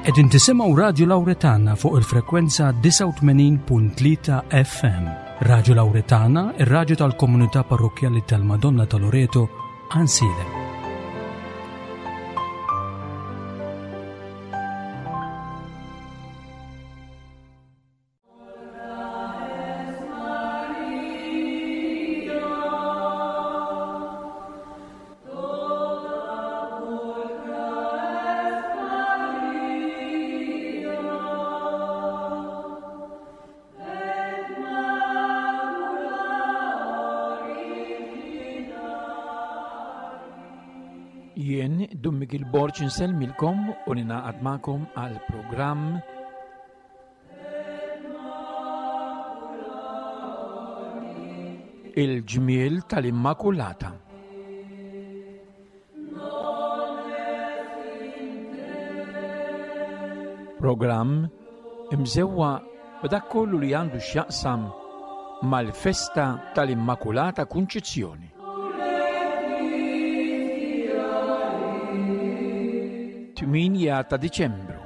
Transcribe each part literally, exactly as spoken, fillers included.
Qegħdin tisimgħu Radju Lawretana fuq il-frekwenza disgħa u tmenin punt tlieta F M. Radju Lawretana, ir-radju tal-komunità parrokkjali tal-Madonna ta' Loreto, Għajnsielem. Jien Dun Mikiel Borg insellmilkom u ninaqad magħkom għal programm Il-Ġmiel tal-Immakulata. Programm imżewwa b'dak kollu li għandu x'jaqsam mal-festa tal-Immakulata Kunċizzjoni. Tminja ta' Diċembru.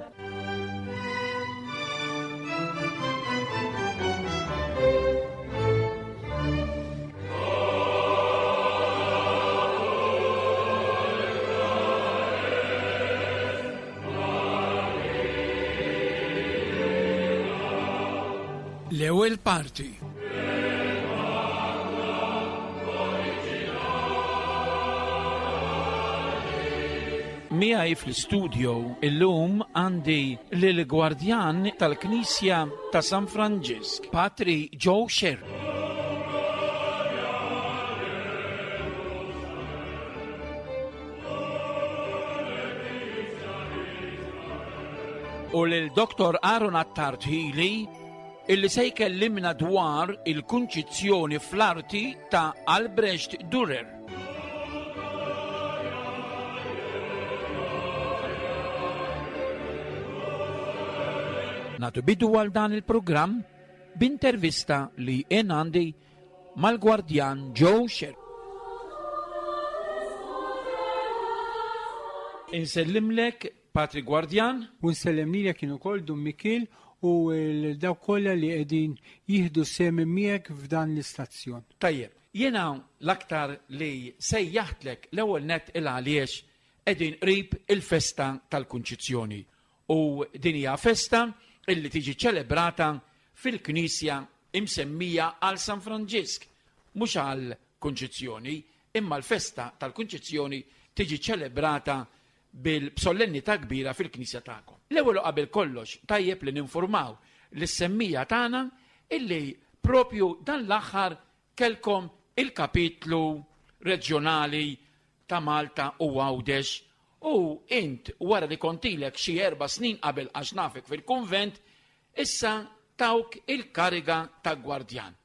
L-ewwel parti. Miegħi fl-istudio illum għandi lill-gwardjan tal-Knisja ta' San Franġisk, Patri Joe Scerri. U lil Doktor Aaron Attard Hili, illi se jkellimna dwar il-kunċizzjoni fl-arti ta' Albrecht Dürer. Natu bidu għal dan il-programm b'intervista li jien għandi mal-gwardjan Joe Scerri. Insellimlek, Patri Gwardjan. U nsellem lilek kien ukoll Dun Mikiel u l-dawk kollha li qegħdin jieħdu sehem miegħek f'dan l-istazzjon. Tajjeb, jiena l-aktar li sejjaħtlek l-ewwel nett il għaliex qegħdin qrib il-festa tal-Kunċizzjoni. U din hija festa illi tiġi ċelebrata fil-Knisja imsemmija għal San Franġisk, mhux għal Kunċizzjoni, imma l-festa tal-Kunċizzjoni tiġi ċelebrata bil-solennità kbira fil-Knisja tagħkom. L-ewwel qabel kollox tajjeb li ninformaw lis-semmija tagħna illi propju dan l-aħħar kelkom il-kapitlu reġjonali ta' Malta u Għawdex u int wara li kontilek xi erba' snin qabel għax nafek fil-kunvent, issa tawk il-kariga ta' gwardjan.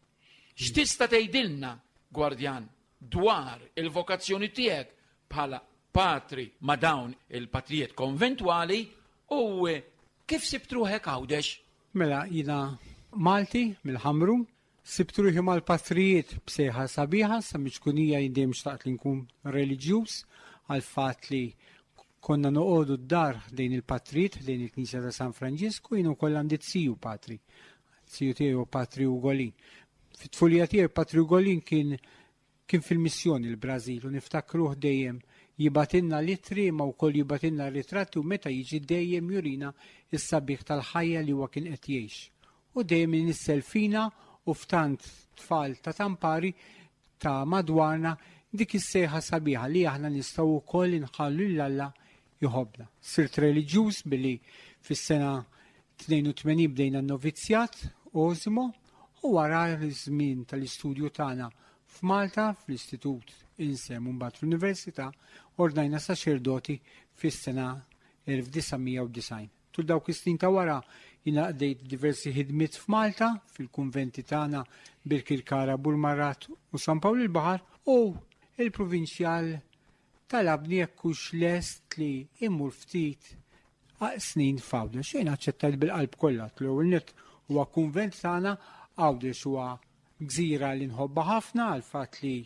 X'tista' tgħidilna, gwardjan, dwar il-vokazzjoni tiegħek bħala patri ma' dawn il-patrijiet konventwali u kif sibt ruħek Għawdex? Mela, jiena Malti mill-Ħamrun, sibt ruħi mal-patrijiet b'sejħa sabiħa, sa miċkunija jien dejjem xtaqt li nkun reliġjuż għal fatt li konna noqogħdu d-dar ħdejn il-patrijiet, ħdejn il-Knisja ta' San Franġisku, jien ukoll għandi ziju patri. Ziju tiegħi hu Patri Ugolin. Fit-tfulija tiegħi Patri Ugolin kien, kien fil-missjoni l-Brażil u niftakruh dejjem jibatilna litri imma wkoll jibatilna ritratti u meta jiġi dejjem jurina s-sabiħ tal-ħajja li huwa kien qed jgħix. U dejjem inissel fina u f'tant tfal ta' tampari ta' madwarna dik is-sejħa sabiħa li aħna nistgħu wkoll inħallu lil Alla jħobbna. Sirt reliġjuż billi fis-sena tnejn u tmenin bdejna n-novizzjat Osimo u wara l-żmien tal-istudju tagħna f'Malta fl-Istitut Insem u mbagħad fl-Università ordnajna saċerdoti fis-sena elf disa' mija u disgħin. Tul dawk is-snin ta' wara jiena qdejt diversi ħidmiet f'Malta fil-kunventi tagħna Birkirkara, Burmarrad u San Pawl il-Baħar u il-provinċjal talabni jekk hux lest li immur ftit snin f'Għawdex. Xejn aċċettajt bil-qalb kollha. L-ewwel nett huwa kunvent tagħna, Għawdex huwa gżira li nħobbha ħafna għal fatt li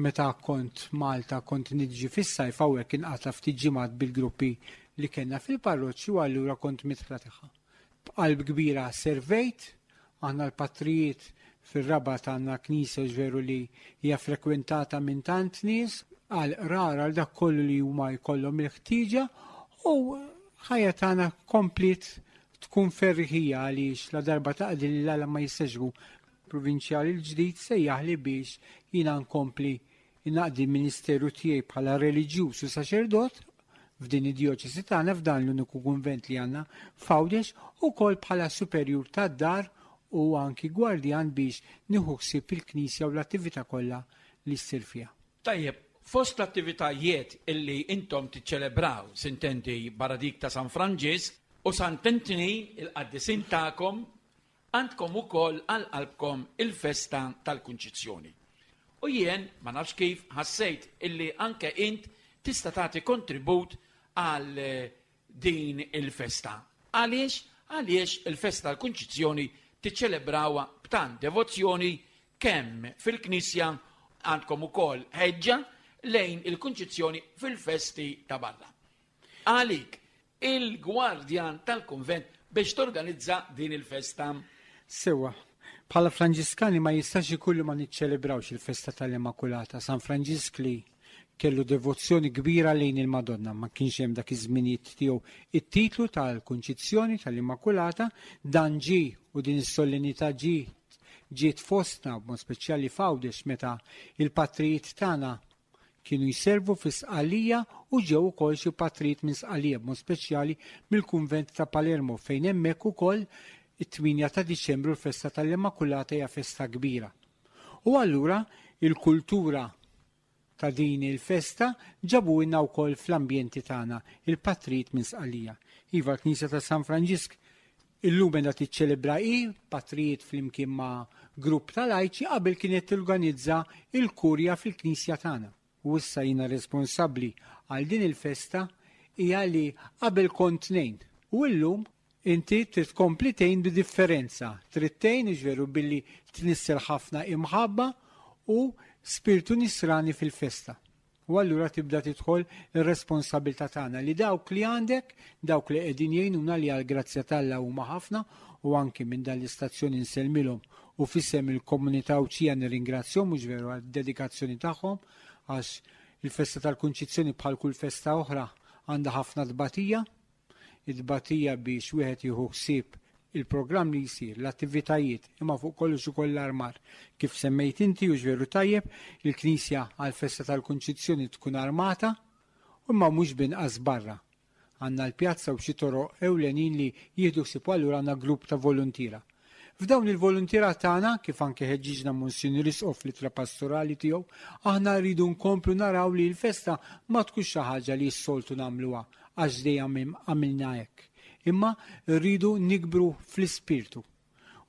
meta kont Malta kont niġi fis-sajf hawnhekk inqata' ftit ġimgħat bil-gruppi li kellna fil-parroċċi u allura kont midħla tagħha. B'qalb kbira servejt, aħna l-patrijiet fir-Rabat għandna knisja veru li hija frekwentata minn tant nies għal qrar għal dak kollu li huma jkollhom il-ħtieġa u ħajja tagħna komplet tkun ferriħija għaliex la darba taqdi li l ma jistax provinċjali l-ġdid sejjaħli biex jiena nkompli naqdi l-ministeru tiegħi bħala reliġjuż u saċerdot f'din id-djoċesi tagħna f'dan l-uniku kunvent li għandna f'Għawdex ukoll bħala superjur tad-dar u anki gwardjan biex nieħu ħsieb il-knisja u l-attività kollha li ssir fiha. Tajjeb, fost l-attivitajiet illi intom tiċċelebraw, sintendi barra dik ta' San Franġisk u Sant'Antni il-qaddisin tagħkom, għandkom ukoll għal qalbkom il-festa tal-Kunċizzjoni. U jien ma nafx kif ħassejt illi anke int tista' tagħti kontribut għal din il-festa. Għaliex? Għaliex il-festa tal-Kunċizzjoni tiċċelebrawha b'tant devozzjoni kemm fil-Knisja għandkom ukoll ħeġġa lejn il-Kunċizzjoni fil-festi ta' barra. Għalik, il-gwardjan tal-konvent biex torganizza din il-festa. Sewa, bħala Franġiskani ma jistax ikun li ma niċċelebrawx il-festa tal-Immakulata. San Franġisk li kellu devozzjoni kbira lejn il-Madonna, ma kienx hemm dak iż-żminijiet tiegħu it-titlu tal-Kunċizzjoni tal-Immakulata, dan ġie u din is-solennità ġie ġiet fostna b'mod speċjali f'Għawdex meta il-patrijiet tagħna kienu jservu fi Sqallija u ġew ukoll xi patrijiet minn Sqallija b'mod speċjali mill-kunvent ta' Palermo fejn hemmhekk ukoll it-tmienja ta' Diċembru l-festa tal-Immakulata hija festa kbira. U allura il-kultura ta' din il-festa ġabu inna wkoll fl-ambjenti tagħna il-patrijiet minn Sqallija. Iva l-Knisja ta' San Franġisk illum qiegħda tiċċelebra hi patrijiet flimkien ma' grupp ta' lajċi qabel kienet torganizza il-kurja fil-Knisja tagħna. U issa jiena responsabbli għal din il-festa hija li qabel kont tnejn. U llum inti trid tkompli tgħin bi differenza. Trid tgħin veru billi tnissel ħafna imħabba u spiritu nisrani fil-festa. U allura tibda tidħol ir-responsabilità tagħna li dawk li għandek, dawk li qegħdin jgħinuna li għall-grazzja t'Alla huma ħafna u anki minn dan l-istazzjon insellmilhom u f'isem il-komunità Għawdxija nirringrazzjahom mhux veru għad-dedikazzjoni tagħhom għax il-festa tal-Kunċizzjoni bħal kull festa oħra għandha ħafna tbatija, it-tbatija biex wieħed jieħu ħsieb il-programm li jsir, l-attivitajiet, imma fuq kollox ukoll l-armar. Kif semmejt inti u veru tajjeb, il-Knisja għal-festa tal-Kunċizzjoni tkun armata, imma mhux binqas barra. Għandna l-pjazza u xi toroq ewlenin li jieħdu ħsieb allura għandna grupp ta' volontiera. F'dawn il-volontiera tagħna, kif anke ħeġġiġna Monsinjur Isqof fl-ittra pastorali tiegħu, aħna rridu nkomplu naraw li l-festa ma tkunx xi ħaġa li s-soltu nagħmluha għax dejjem għamilna hekk. Imma rridu nikbru fl-ispirtu.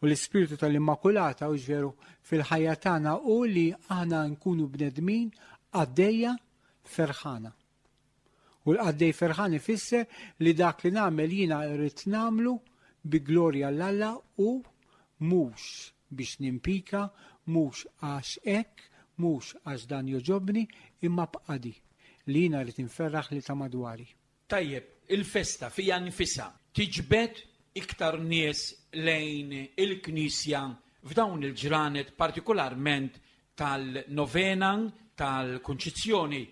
U l-ispirtu tal-Immakulata u veru fil-ħajja tagħna u li aħna nkunu bnedmin qaddejja ferħana. U l-qaddej ferħan ifisser li dak li nagħmel jiena rrid nagħmlu bi glorja 'l Alla u mhux biex nimpika, mhux għax hekk, mhux għax dan joġobni, imma b'qadi li jiena rrid inferraħ li ta' madwari. Tajjeb, il-festa fija nfisha tiġbed iktar nies lejn il-Knisja f'dawn il-ġranet partikolarment tal-novena tal-Kunċizzjoni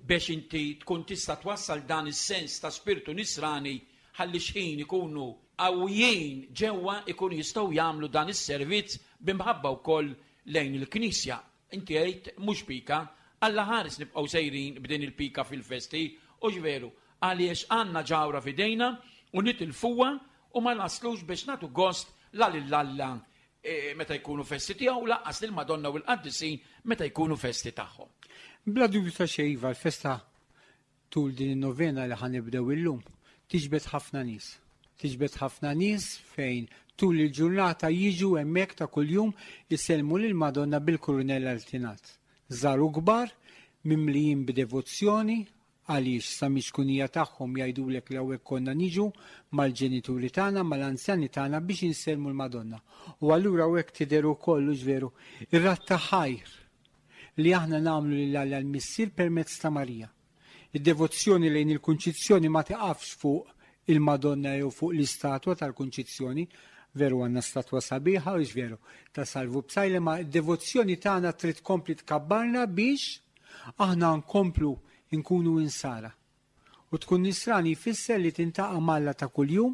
biex inti tkun tista' twassal dan is-sens ta' spiritu nisrani ħalli xħin ikunu qawwijin ġewwa ikunu jistgħu jagħmlu dan is-servizz b'imħabba wkoll lejn il-Knisja. Inti għidt mhux pika, Alla ħares nibqgħu sejrin b'din il-pika fil-festi, u veru, għaliex għandna ġawra f'idejna u nitilfuha u ma naslux biex nagħtu gost la lil Alla e, meta jkunu festi tiegħu lanqas lil Madonna u l-qaddisin meta jkunu festi tagħhom. Bla dubju ta' xejn iva, l-festa tul din in-novena li ħa nibdew illum tiġbed ħafna nies. Tiġbed ħafna nies fejn tul il-ġurnata jiġu hemmhekk ta' kuljum isellmu lil Madonna bil-kurunella li tingħad. Żgħar u kbar, mimlijin b'devozzjoni, għaliex sa miċ-ċkunija tagħhom jgħidulek li hawnhekk konna niġu mal-ġenituri tagħna, mal-anzjani tagħna biex insellmu l-Madonna. U allura hawnhekk tidher ukoll veru ir-radd ta' ħajr li aħna nagħmlu lil Alla l-Missier permezz ta' Marija. Id-devozzjoni lejn il-Kunċizzjoni ma tiqafx fuq il-Madonna jew fuq l-istatwa tal-Kunċizzjoni, veru għandna statwa sabiħa u veru ta' Salvu Psaila, ma d-devozzjoni tagħna trid tkompli tkabbarna biex aħna nkomplu nkunu insara. U tkun nisrani jfisser li tiltaqa' m'Alla ta' kuljum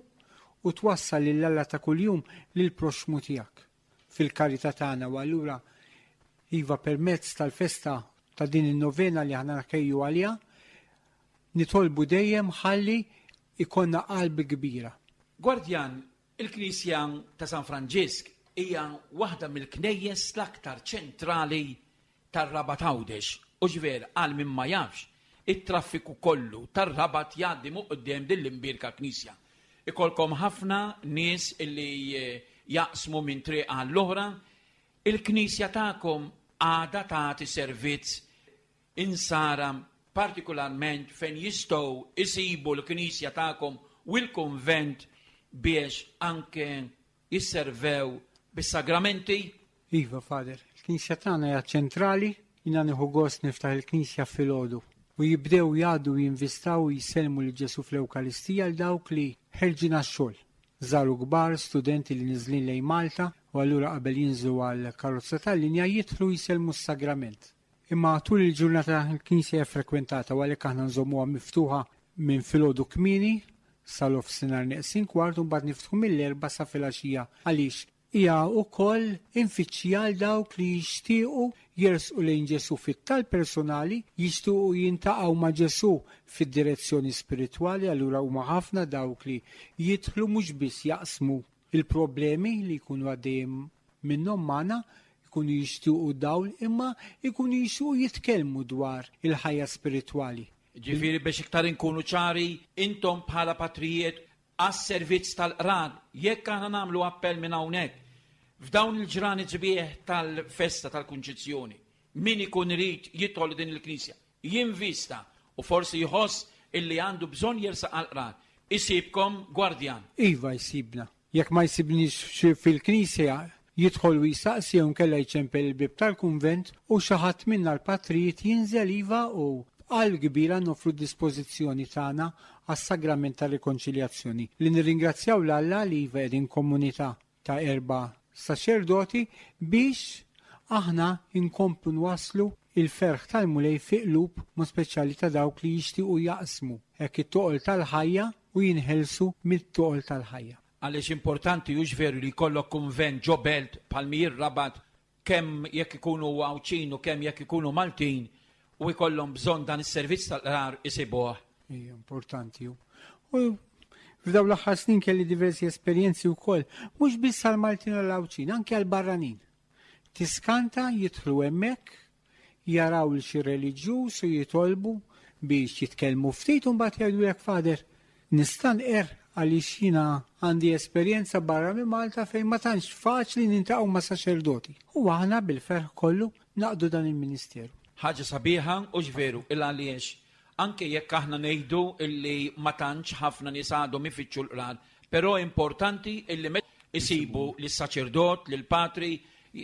u twassal lil Alla ta' kuljum lil proxmu tiegħek fil-karità tagħna. U allura iva, permezz tal-festa ta' din in-novena li aħna nħejju għaliha, nitolbu dejjem ħalli ikollna qalb kbira. Gwardjan, il-Knisja ta' San Franġisk hija waħda mill-knejjes l-aktar ċentrali tar-Rabat Għawdex. U ġver, għal min ma jafx, it-traffiku kollu tar-Rabat jgħaddi minn quddiem din l-imbierka knisja. Ikollkom ħafna nies illi eh, jaqsmu minn triq għall-oħra. Il-knisja tagħkom għadha tagħti servizz insara, partikolarment fejn jistgħu isibu l-knisja tagħkom u l-konvent biex anke jisservew bis-sagramenti? Iva, Father, il-knisja tagħna hija ċentrali, jiena nieħu gost niftaħ il-knisja filgħodu u jibdew jgħaddu, jinvistaw u jsellmu lil Ġesu fl-Ewkaristija l dawk li ħerġin għax-xogħol. Żgħar u kbar, studenti li niżlin lejn Malta, u allura qabel jinżlu għal karozza tal-linja jidħlu jsellmu s-sagrament. Imma tul il-ġurnata l-knisja hija frekwentata u għalhekk aħna nżommuha miftuħa minn filgħodu kmieni sal-nofsinhar neqsin kwart u mbagħad niftħu mill-erba' sa filgħaxija, għaliex hija wkoll infittxija għal dawk li jixtiequ jersqu lejn Ġesu fit-talb personali, jixtiequ jiltaqgħu ma' Ġesu fid-direzzjoni spiritwali. Allura huma ħafna dawk li jidħlu, mhux biss jaqsmu il-problemi li jkunu għaddejjem minnhom magħna, jkunu jixtiequ dawl, imma jkunu jixtiequ jitkellmu dwar il-ħajja spiritwali. Ġifieri, biex iktar inkunu ċari, intom bħala patrijiet għas-servizz tal-qrar, jekk aħna nagħmlu appell minn hawnhekk, f'dawn il-ġranet sbieħ tal-festa tal-Kunċizzjoni, min ikun irid jidħol din il-knisja, jinvista u forsi jħoss illi għandu bżonn jersaq għal-qrar, isibkom, Gwardjan? Iva, jsibna. Jekk ma jsibniex fil-knisja, jidħol u jisaqsi jew nkella jċempel il-bib tal-kunvent u xi ħadd minna l-patrijiet jinżel, iva, u b'qalb kbira noffru dispożizzjoni tagħna għas-sagrament tal-rikonċiljazzjoni. Li nirringrazzjaw 'l Alla li iva qegħdin komunità ta' erba' saċerdoti biex aħna inkomplu nwaslu il-ferħ tal-Mulej fi qlub mod speċjali ta' dawk li jixtiequ jaqsmu hekk it-toqol tal-ħajja u jinħelsu mit-toqol tal-ħajja. Għaliex importanti, hux veru, li jkollok kunvent ġo belt bħal ir-Rabat, kemm jekk ikunu Għawdxin u kemm jekk ikunu Maltin u jkollhom bżonn dan is-servizz tal-qrar, isibuh? Hija importanti. U f'dawn l-aħħar snin kelli diversi esperjenzi wkoll, mhux biss għal-Maltin u l-Għawdxin, anke għal-barranin. Tiskanta, jidħlu hemmhekk, jaraw 'l xi reliġjuż u jitolbu biex jitkellmu ftit u mbagħad jgħidulek: "Father, nista' nqer għaliex jiena għandi esperjenza barra minn Malta fejn ma tantx faċli niltaqgħu ma' saċerdoti." U aħna bil-ferħ kollu naqdu dan il-ministeru. Ħaġa sabiħa, hux veru, il għaliex anke jekk aħna ngħidu illi ma tantx ħafna nies għadhom ifittxu l-qrar, però importanti illi met isibu lis-saċerdot, lill-patri,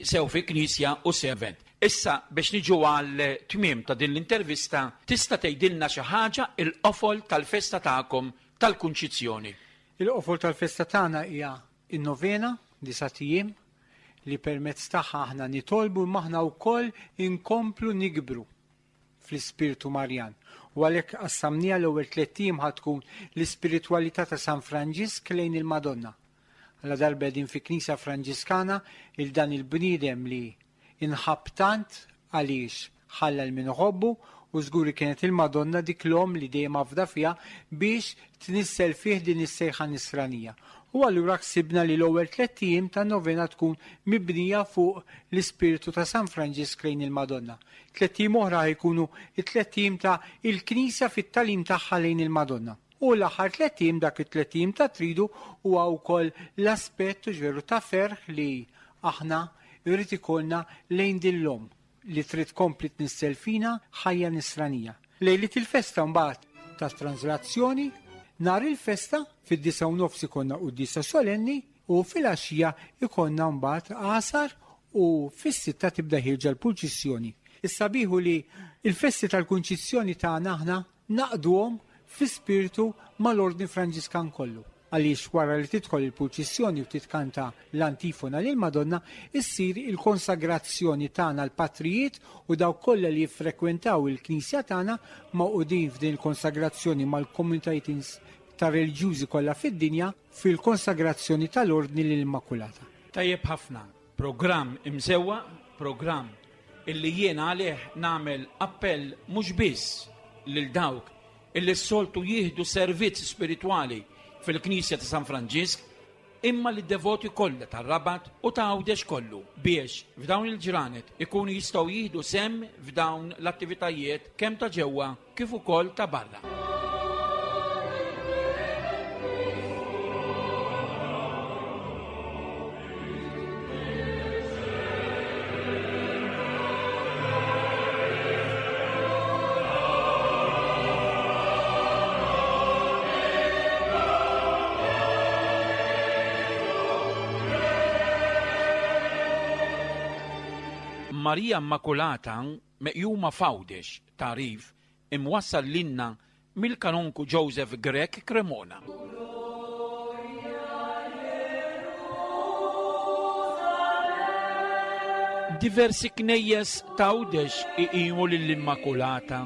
sew fi knisja u sew. Issa, biex niġu għal tmiem ta' din l-intervista, tista' tgħidilna xi ħaġa il-qofol tal-festa tagħkom tal-Kunċizzjoni? Il-qofol tal-festa tagħna hija in-novena, disat ijiem, li permezz tagħha aħna nitolbu imma aħna wkoll inkomplu nikbru fl-ispirtu Marjan. U għalhekk qassamnieha, l-ewwel tliet ijiem ħa tkun l-ispiritwalità ta' San Franġisk lejn il-Madonna. Għalla darba qegħdin fi Knisja Franġiskana, il dan il-bniedem li inħab tant għaliex ħalla 'l min iħobbu u żguri kienet il-Madonna, dik l-om li dejjem afda fiha, biex tnissel fih din is-sejħa nisranija. U allura ħsibna li l-ewwel tliet ijiem ta' novena tkun mibnija fuq l-ispirtu ta' San Franġisk lejn il-Madonna. Tlett ijiem oħra jkunu it-tlett ijiem ta' il-Knisja fit-tagħlim tagħha lejn il-Madonna. U l-aħħar tlett ijiem, dak it-tlett ijiem ta' tridu, huwa wkoll l-aspett veru ta' ferħ li aħna jrid ikollna lejn din l-om li trid tkompli tnissel fina ħajja nisranija. Lejlit il-festa mbagħad ta' translazzjoni, nhar il-festa fid-disgħa u nofs ikollna quddiesa solenni u fil-għaxija ikollna mbagħad għasar u fis-sitta tibda ħierġa l-purċissjoni. Is-sabiħu li il-festi tal-Kunċizzjoni tagħna aħna naqduhom fi spiritu mal-Ordni Franġiskan kollu. Għaliex wara li tidħol il-purċissjoni u titkanta l-antifona lil Madonna, issir il-konsagrazzjoni tagħna l-patrijiet u dawk kollha li jiffrekwentaw il-Knisja tagħna magħqudin f'din il-konsagrazzjoni mal-komunitajiet ta' reliġjużi kollha fid-dinja fil-konsagrazzjoni tal-Ordni lill-Immakulata. Tajjeb ħafna, programm imsewwa, programm illi jiena għalih nagħmel appell mhux biss lil dawk illi s-soltu jieħdu servizz spiritwali fil-Knisja ta' San Franġisk, imma li devoti kollha tar-Rabat u ta' Għawdex kollu biex f'dawn il-ġranet ikunu jistgħu jieħdu sehem f'dawn l-attivitajiet kemm ta' ġewwa kif ukoll ta' barra. Marija Immakulata meqjuma f'Għawdex, tagħrif imwassal lilna mill-kanonku Joseph Grech Cremona. Diversi knejjes ta' Għawdex iqimu lill-Immakulata.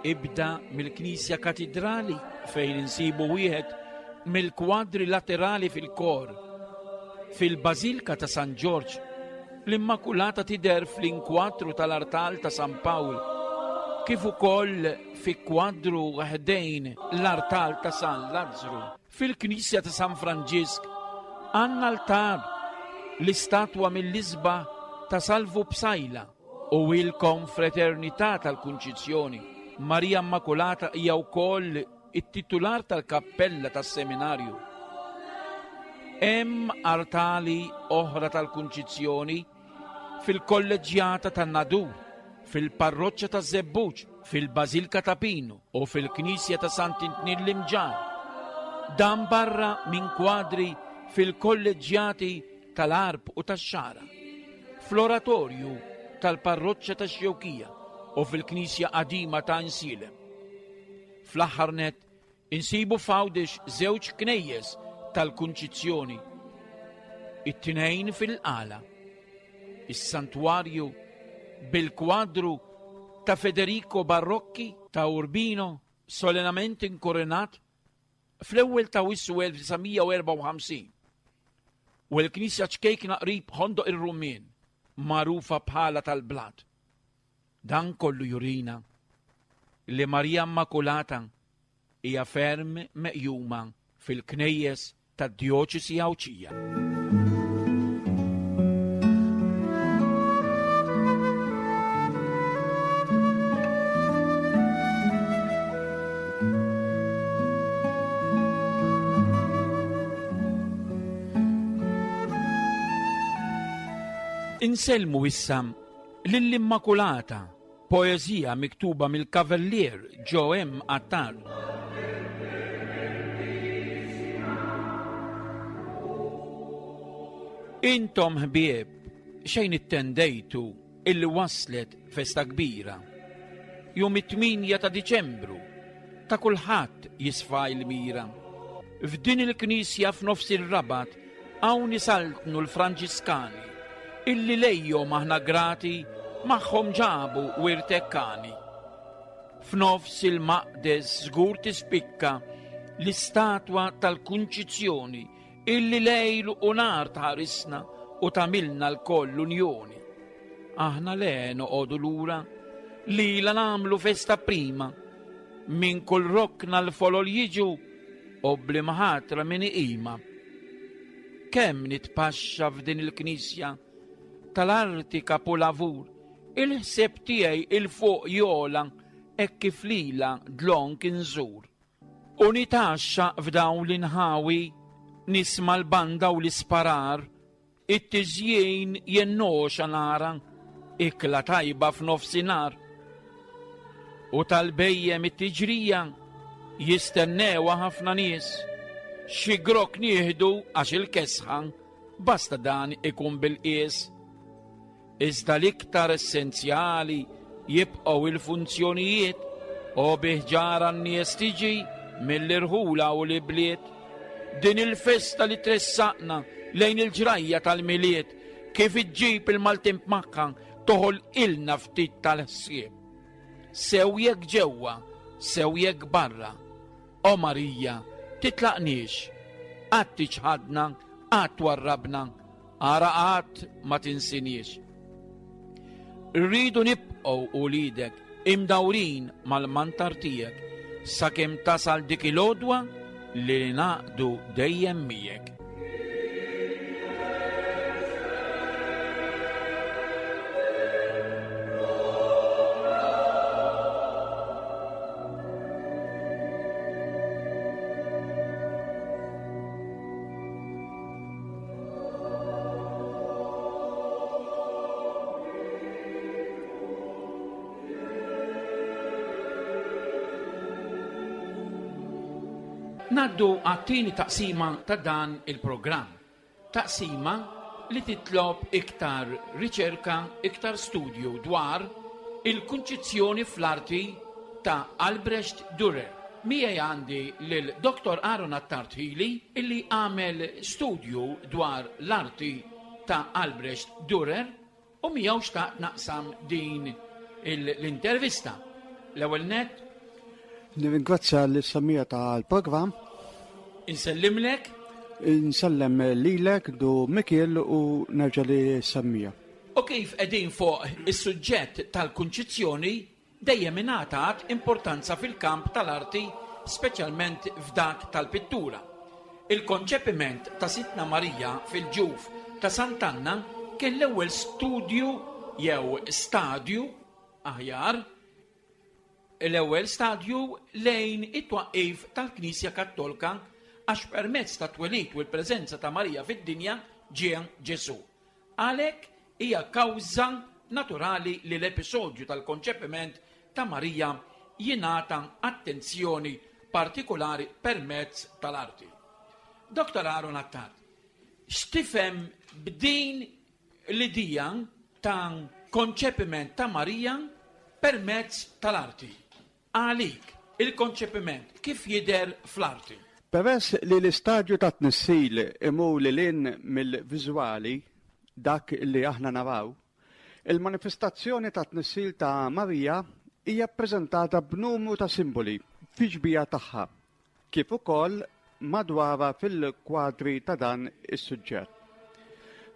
Ibda mill-Knisja Katidrali fejn insibu wieħed mill-kwadri laterali fil-kor. Fil-Bażilka ta' San Ġorġ l-Immakulata tidher fl-inkwatru tal-artal ta' San Pawl, kif ukoll fi kwadru ħdejn l-artal ta' San Lazzru. Fil-Knisja ta' San Franġisk għandna altar l-istatwa mill-isbaħ ta' Salvu Psaila u il-Konfraternità tal-Kunċizzjoni. Marija Immakulata hija wkoll it-titular tal-kappella tas-seminarju. Hemm artali oħra tal-Kunċizzjoni fil-Kolleġġjata tan-Nadur, fil-Parroċċa taż-Żebbuġ, fil-Bażilka ta' Pinu u fil-Knisja ta' Sant'Intnin l-Imġarr. Dan barra minn kwadri fil-kolleġġjati tal-Għarb u tax-Xagħra, fl-Oratorju tal-Parroċċa tax-Xewkija u fil-Knisja Qadima ta' Insielem. Fl-aħħar nett insibu f'Għawdex żewġ knejjes tal-Kunċizzjoni, it-tnejn fil-Qala, is-Santwarju bil-kwadru ta' Federico Barocchi ta' Urbino solenament inkoronat fl-ewwel ta' Awwissu elf disa' mija u erbgħa u ħamsin u l-Knisja ċkejkna qrib Ħondoq ir-Rummien magħrufa bħala tal-Blat. Dan kollu jurina li Marija Immakulata hija ferm meqjuma fil-knejjes tad-djoċesi Għawdxija. Insellmu issa lill-Immakulata, poeżija miktuba mill-Kavallier Joe M. Attard. Intom ħbieb xejn ittendejtu illi waslet festa kbira. Jum it-tminja ta' Diċembru ta' kulħadd jisfa' il-mira. F'din il-knisja f'nofs ir-Rabat hawn isaltnu l-Franġiskani illi lejhom aħna grati magħhom ġabu wirtekkani. F'nofs il-maqdes żgur tispikka l-istatwa tal-Kunċizzjoni illi lejl u nar tħarisna u tagħmilna lkoll l-unjoni. Aħna le noqogħdu lura lila nagħmlu festa prima minn kull rokna l-folol jiġu u bl-imħatra min iqima. Kemm nitpaxxa f'din il-knisja tal-arti kapulavur, il-ħsieb tiegħi il-fuq jola hekk kif lila dlonk inżur. U nitaxxa f'dawn l-inħawi nisma' l-banda u l-isparar, it-tiżjien jennoxa nara, ikla tajba f'nofsinhar. U tal-bejjem it-tiġrija jistennewha ħafna nies, xi grok nieħdu għax il-kesħa basta dan ikun bil-qies. Iżda l-iktar essenzjali jibqgħu il-funzjonijiet U bi ħġarha n-nies tiġi mill-irħula u l-ibliet. Din il-festa li tressaqna lejn il-ġrajja tal-Milied, kif iġġib il-Maltin magħha toħolqilna ftit tal-ħsieb. Sew jekk ġewwa, sew jekk barra. O Marija, titlaqniex, qatt tiċħadna, qatt twarrabna, ara qatt ma tinsiniex. Rridu nibqgħu ulidek imdawrin mal-mantar tiegħek sakemm tasal dik il-għodwa li naqdu dejjem miegħek. Ngħaddu għat-tieni taqsima ta' dan il-programm. Taqsima li titlob iktar riċerka, iktar studju dwar il-kunċizzjoni fl-arti ta' Albrecht Dürer. Miegħi għandi lil Doktor Aaron Attard Hili illi għamel studju dwar l-arti ta' Albrecht Dürer u miegħu xtaqt naqsam din l-intervista. L-ewwel nett Nirringrazzja l-semmiegħa tal-programm. Insellimlek. Insellem lilek Dun Mikiel u nerġa' li semmiegħa. U kif qegħdin fuq is-suġġett tal-kunċizzjoni dejjem ingħatat importanza fil-kamp tal-arti, speċjalment f'dak tal-pittura. Il-konċepiment ta' Sidtna Marija fil-ġuf ta' Sant'Anna kien l-ewwel studju jew stadju aħjar, l-ewwel stadju lejn it-twaqqif tal-Knisja Kattolika għax permezz ta' twelid u l-preżenza ta' Marija fid-dinja ġie Ġesù. Għalhekk hija kawża naturali li l-episodju tal-konċepiment ta' Marija jingħata attenzjoni partikolari permezz tal-arti. Doktor Aaron Attard, x'tifhem b'din l-idea ta' konċepiment ta' Marija permezz tal-arti? Għalik, il-konċepiment kif jidher fl-arti? Peress li l-istadju ta' tnissil imur lil hinn mill-viżwali, dak li aħna naraw, il-manifestazzjoni ta' tnissil ta' Marija hija ppreżentata b'numru ta' simboli fi xbieha tagħha, kif ukoll madwarha fil-kwadri ta' dan is-suġġett.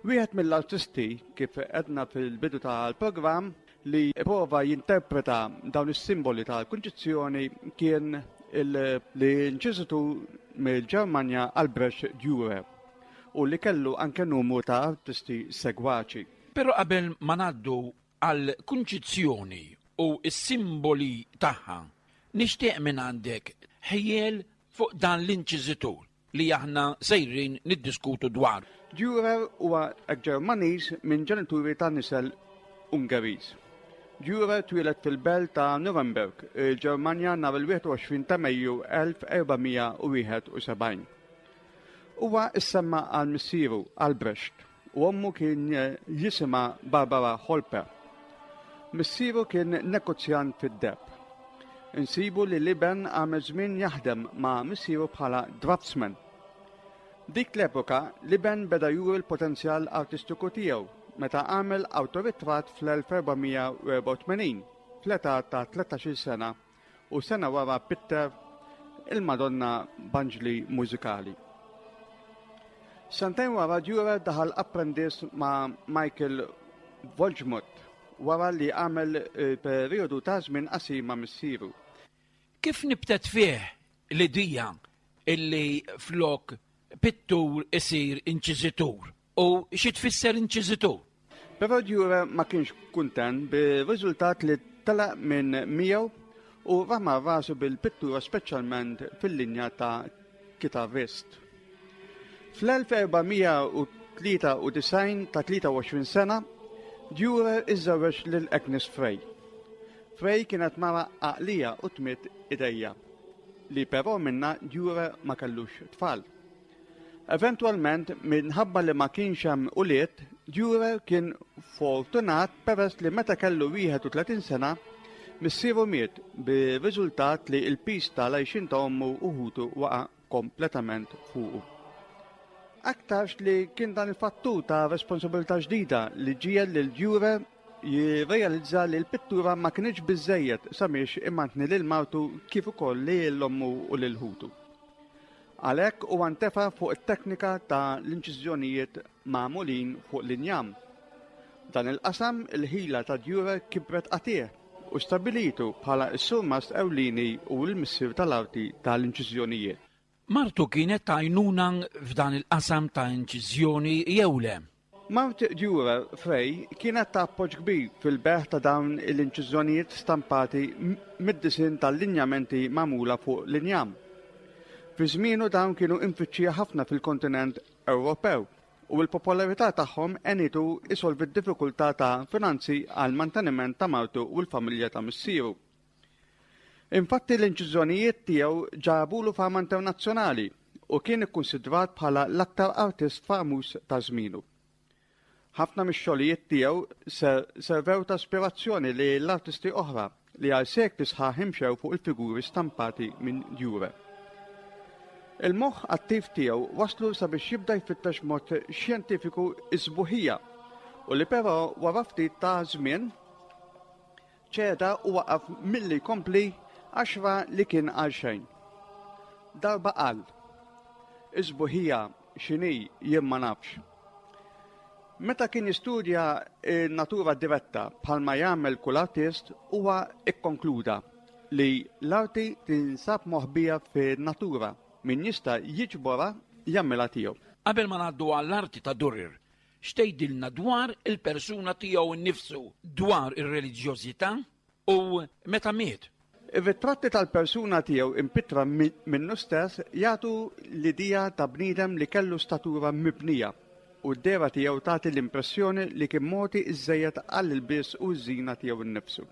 Wieħed mill-artisti, kif għedna fil-bidu tal-programm, li prova jinterpreta dawn is-simboli tal-kunċizzjoni kien l-inċiżitur mill-Ġermanja Albrecht Dürer u li kellu anke numru ta' artisti segwaċi. Però qabel ma ngħaddu għall-kunċizzjoni u s-simboli tagħha, nixtieq minn għandek ħjiel fuq dan l-inċiżitur li aħna sejrin niddiskutu dwar. Dürer huwa Ġermaniż minn ġenituri ta' nisel Ungeriż. Dürer twieled fil-belt ta' Nuremberg, il-Ġermanja nhar il-wieħed u għoxrin ta' Mejju elf erba' mija u wieħed u sebgħin. Huwa issemma għal missieru Albrecht u ommu kien jisimha Barbara Holper. Missieru kien negozjant fid-deheb. Insibu li l-iben għamel żmien jaħdem ma' missieru bħala draftsman. Dik l-epoka l-iben beda juri l-potenzjal artistiku tiegħu meta għamel awtoritratt fl-elf erba' mija u erba' u tmenin fl-età ta' tlettax-il sena u sena wara pitter il-Madonna b'anġli mużikali. Sentejn wara Dürer daħal apprendist ma' Michael Wolgemut wara li għamel periodu ta' żmien qasir ma' missieru. Kif nibtet fih l-idea illi flok pittur isir inċiżitur? U xi tfisser inċiżitur? Però Dürer ma kienx kuntent bir-riżultat li telaq minn miegħu u rama rasu bil-pittura speċjalment fil-linja ta' kitarrist. Fl-elf erba' mija u tlieta u disgħin ta' tlieta u għoxrin sena, Dürer iżżewweġ lil Agnes Frey. Frey kienet mara għaqlija u tmiet idejja, li però minna Dürer ma kellux tfal. Eventwalment, minħabba li ma kienx hemm ulied, Dürer kien fortunat peress li meta kellu wieħed u tletin sena, Missieru miet bir-riżultat li l-piż tal-għajxien ta' ommu u ħutu waqa' kompletament fuqu. Aktarx li kien dan il-fattur ta' responsabilità ġdida li ġiegħel lil Dürer jirrealizza li l-pittura ma kinitx biżejjed sabiex imantni lil martu kif ukoll lil ommu u lil ħutu. Għalhekk huwa ntefa' fuq it-teknika ta' l-inċiżjonijiet magħmulin fuq l-injam. Dan il-qasam il-ħila ta' Dürer kibret qatigħ u stabilitu bħala s-surmast ewlieni u l-missier tal-arti tal-inċiżjonijiet. Martu kienet għajnuna f'dan il-qasam ta' inċiżjoni jew le? Mart Dürer Frey kienet ta' appoġġ kbir fil-bejgħ ta' dawn l-inċiżjonijiet stampati mid-disinn tal-linjamenti magħmula fuq l-injam. Fi żmienu dawn kienu imfittxija ħafna fil-kontinent Ewropew u l-popolarità tagħhom għenitu isolvi d-diffikultà ta' finanzi għal manteniment ta' martu u l-familja ta' missieru. Infatti l-inċiżjonijiet tiegħu ġabulu fama internazzjonali u kien ikkunsidrat bħala l-aktar artist famuż ta' żmienu. Ħafna mix-xogħlijiet tiegħu servew ta' ispirazzjoni li l-artisti oħra li għal sekli sħaħ imxew fuq il-figuri stampati minn Dürer. Il-moħħ attiv tiegħu waslu sabiex jibda jfittex mod xjentifiku is-sbuħija u li però wara ftit ta' żmien ċeda u waqaf milli jkompli għax ra li kien għal xejn. Darba qal, is-sbuħija x'inhi jien ma nafx. Meta kien jistudja natura diretta bħalma jagħmel kull artist, huwa ikkonkluda li l-arti tinsab moħbija fin-natura, min jista' jiġborha jagħmilha tiegħu. Qabel ma ngħaddu għall-arti ta' Dürer, x'tgħidilna dwar il-persuna tiegħu nnifsu, dwar ir-reliġjożità u meta miet? Ir-ritratti tal-persuna tiegħu impittra minnu stess jagħtu l-idea ta' bniedem li kellu statura mibnija u d-dehra tiegħu tagħti l-impressjoni li kien mogħti iżżejjed għall-ilbies u ż-żina tiegħu nnifsu.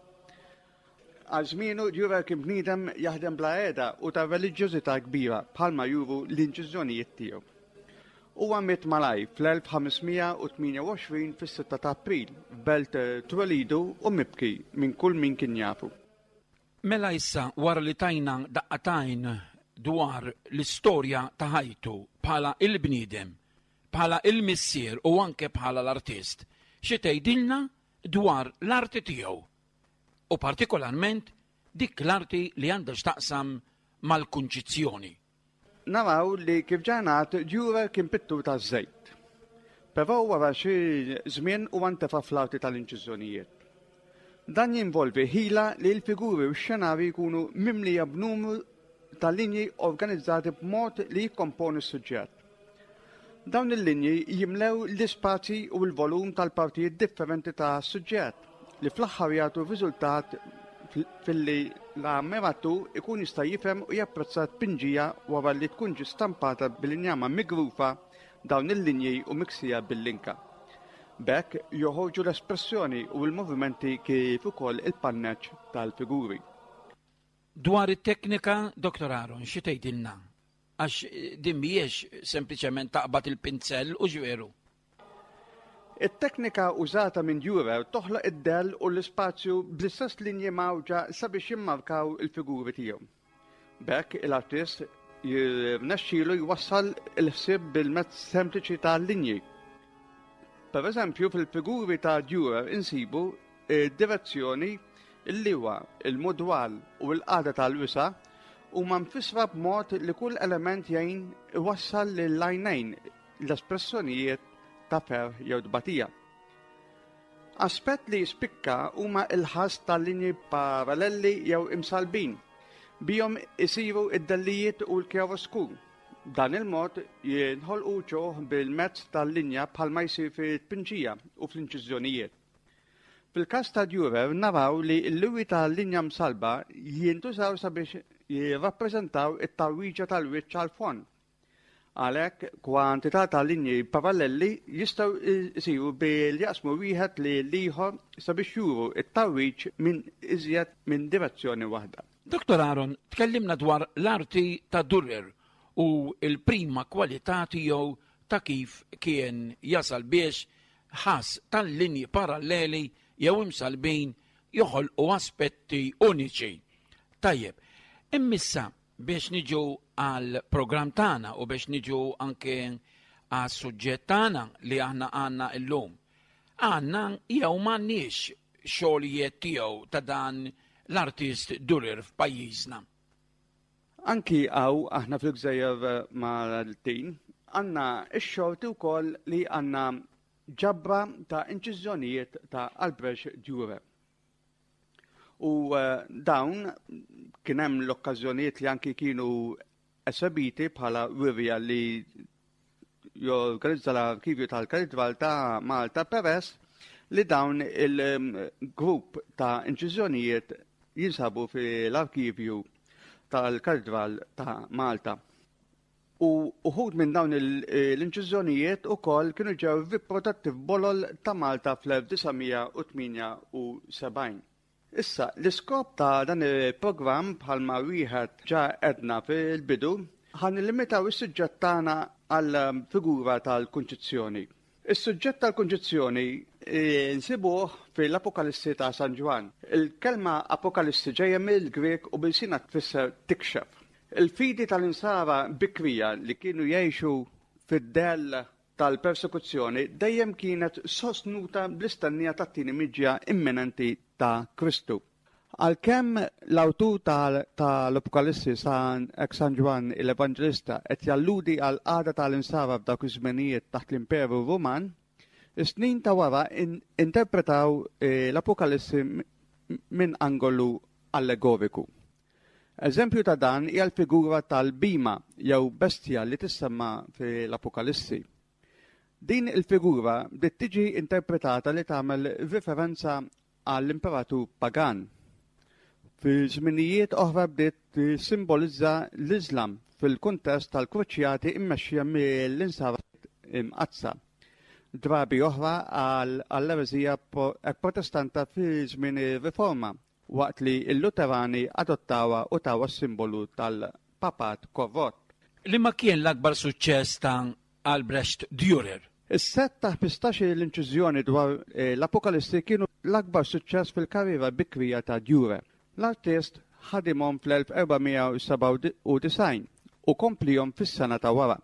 Għal żmienu Dürer kien bniedem jaħdem bla qiegħda u ta' reliġjożità kbira bħalma juru l-inċiżjonijiet tiegħu. Huwa miet malaj fl-elf ħames mija u tmienja u għoxrin fis-sitta ta' April f'belt twelidu u mibki minn kull min kien jafu. Mela issa wara li tajna daqqatajn dwar l-istorja ta' ħajtu bħala il-bniedem, bħala il-missier u anke bħala l-artist, xi tgħidilna dwar l-arti tiegħu u partikolarment dik l-arti li għandha x'taqsam mal-kunċizzjoni. Naraw li kif ġanat Dürer kien pittur ta' żejt. Però wara xi żmien huwa ntefa' fl-arti tal-inċiżjonijiet. Dan jinvolvi ħila li l-figuri u x-xenari jkunu mimlija b'numru ta' linji organizzati b'mod li jikkomponu s-suġġett. Dawn il-linji jimlew l-ispazji u l-volum tal-partijiet differenti ta' suġġett li fl-aħħar jagħtu riżultat filli l-ammiratu ikun jista' jifhem u japprezza tpinġija wara li tkun ġi stampata bil-injama migrufa dawn il-linji u miksija bil-linka. B'hekk joħorġu l-espressjoni u l-movimenti kif ukoll il-panneġġ tal-figuri. Dwar it-teknika, Doktor Aaron, xi tgħidilna? Għax din mhijiex sempliċement taqbad il-pinzell u ġveru. It-teknika użata minn Dürer toħloq id-dell u l-ispazju bl-istess linji mawġa sabiex jimmarkaw il-figuri tiegħu. B'hekk il-artist jirnexxielu jwassal il-ħsieb bil-mezz sempliċi ta' linji. Per eżempju, fil-figuri ta' Dürer insibu id-direzzjoni, il-liwa, il-mudwal u l-qagħda tal-wisa huma mfissra b'mod li kull element jgħin iwassal lill-għajnejn l-espressjonijiet ta' ferħ jew tbatija. Aspett li jispikka huma il-ħass tal-linji paralleli jew imsalbin. Bihom isiru id-dellijiet u l-kjaroskur. Dan il-mod jinħolqu ċoħ bil-mezz tal-linja bħalma jsir fit-tpinġija u fl-inċiżjonijiet. Fil-każ ta' Dürer naraw li l-liwi tal-linja msalba jintużaw sabiex jirrappreżentaw it-tarwiġa tal-wiċċ għal-fond. Għalhekk kwantità ta' linji paralleli jistgħu jsiru bil jaqsmu wieħed li l-ieħor sabiex juru it-tarwiġ minn iżjed minn direzzjoni waħda. Doktor Aaron, tkellimna dwar l-arti ta' Dürer u l-prima kwalità tiegħu ta' kif kien jasal biex ħass tal-linji paralleli jew imsalbin joħolqu aspetti uniċi. Tajjeb, immissa biex niġu għal programm tagħna u biex niġu anke għas suġġett tagħna li aħna għandna illum. Għandna jew m'għandniex xogħlijiet tiegħu ta' dan l-artist Dürer f'pajjiżna. Anki hawn aħna fil-Gżejjer Maltin għandna x-xorti wkoll li għandna ġabra ta' inċiżjonijiet ta' Albrecht Dürer. U eh, dawn kien hemm l-okkażjonijiet li anki kienu esebiti bħala wirja li jorganizza l-arkivju tal-Katedral ta' Malta, peress li dawn il-grupp ta' inċiżjonijiet jinsabu fil-arkivju tal-Katedral ta' Malta. U uħud minn dawn l-inċiżjonijiet ukoll kienu ġew riprodotti f'bolol ta' Malta fl-elf disa' mija u tmienja u sebgħin. Issa, l-iskop ta' dan il-programm, bħalma wieħed ġa għedna fil-bidu, ħa nillimitaw is-suġġett tagħna għal figura tal-Kunċizzjoni. Is-suġġett tal-Kunċizzjoni eh, nsibuh fil-Apokalissi ta' San Ġwann. Il-kelma Apokalissi ġejja mill-Grek u b'ilsienna tfisser tikxef. Il-fidi tal-insara bikrija li kienu jgħixu fid-dell tal-persekuzzjoni dejjem kienet sostnuta bl-istennija tat-tieni miġja imminenti ta' Kristu. Għalkemm l-awtur tal-Apokalissi San San Ġwann l-Evanġelista qed jalludi għal qagħda tal-insara f'dawk iż-żmenijiet taħt l-Imperu Ruman, is-snin ta' wara interpretaw eh, l-Apokalissi minn angolu allegoriku. Eżempju ta' dan hija l-figura tal-bhima jew bestja li tissemma fil-Apokalissi. Din il-figura bdiet tiġi interpretata li tagħmel referenza għall-imperatur pagan. Fi żminijiet oħra bdiet simbolizza l-Islam fil-kuntest tal-kruċjati immexxija mill-insara imqaddsa. Drabi oħra għall-ereżija protestanta fi żmien ir-Riforma, waqt li l-Luterani adottawha u tawha simbolu tal-papat korrott. Liema kien l-akbar suċċess ta' Albrecht Dürer? Is-set ta' ħmistax l-inċiżjoni dwar eh, l-Apokalissi kienu l-akbar suċċess fil-karriera bikrija ta' Dürer. L-artist ħadimhom fl-elf erba' mija u sebgħa u disgħin u komplihom fis-sena ta' wara.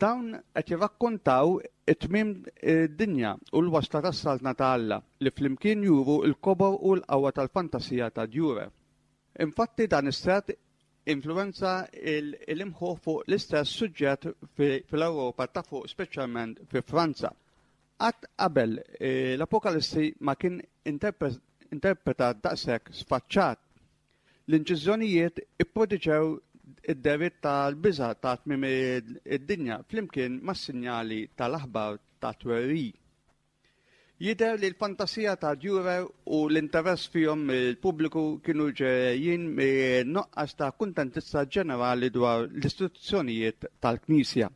Dawn qed jirrakkontaw it-tmiem id-dinja u l-wasla tas-saltna ta' Alla, li flimkien juru l-kobor u l-qawwa tal-fantasija ta' Dürer. Infatti, dan is-set influenza l-imħuħ fuq l-istess suġġett fil-Ewropa ta' fuq, speċjalment fi Franza. Qatt qabel eh, l-Apokalissi ma kien interpretat daqshekk sfaċċat. L-inċiżjonijiet ipproduċew id-dehriet tal-biża ta' tmiem id-dinja flimkien mas-sinjali tal-aħbar ta' twerwir. Jidher li l-fantasija ta' Dürer u l-interess fihom il-pubbliku kienu ġejjin nuqqas ta' kuntentizza ġenerali dwar l-istituzzjonijiet tal-Knisja.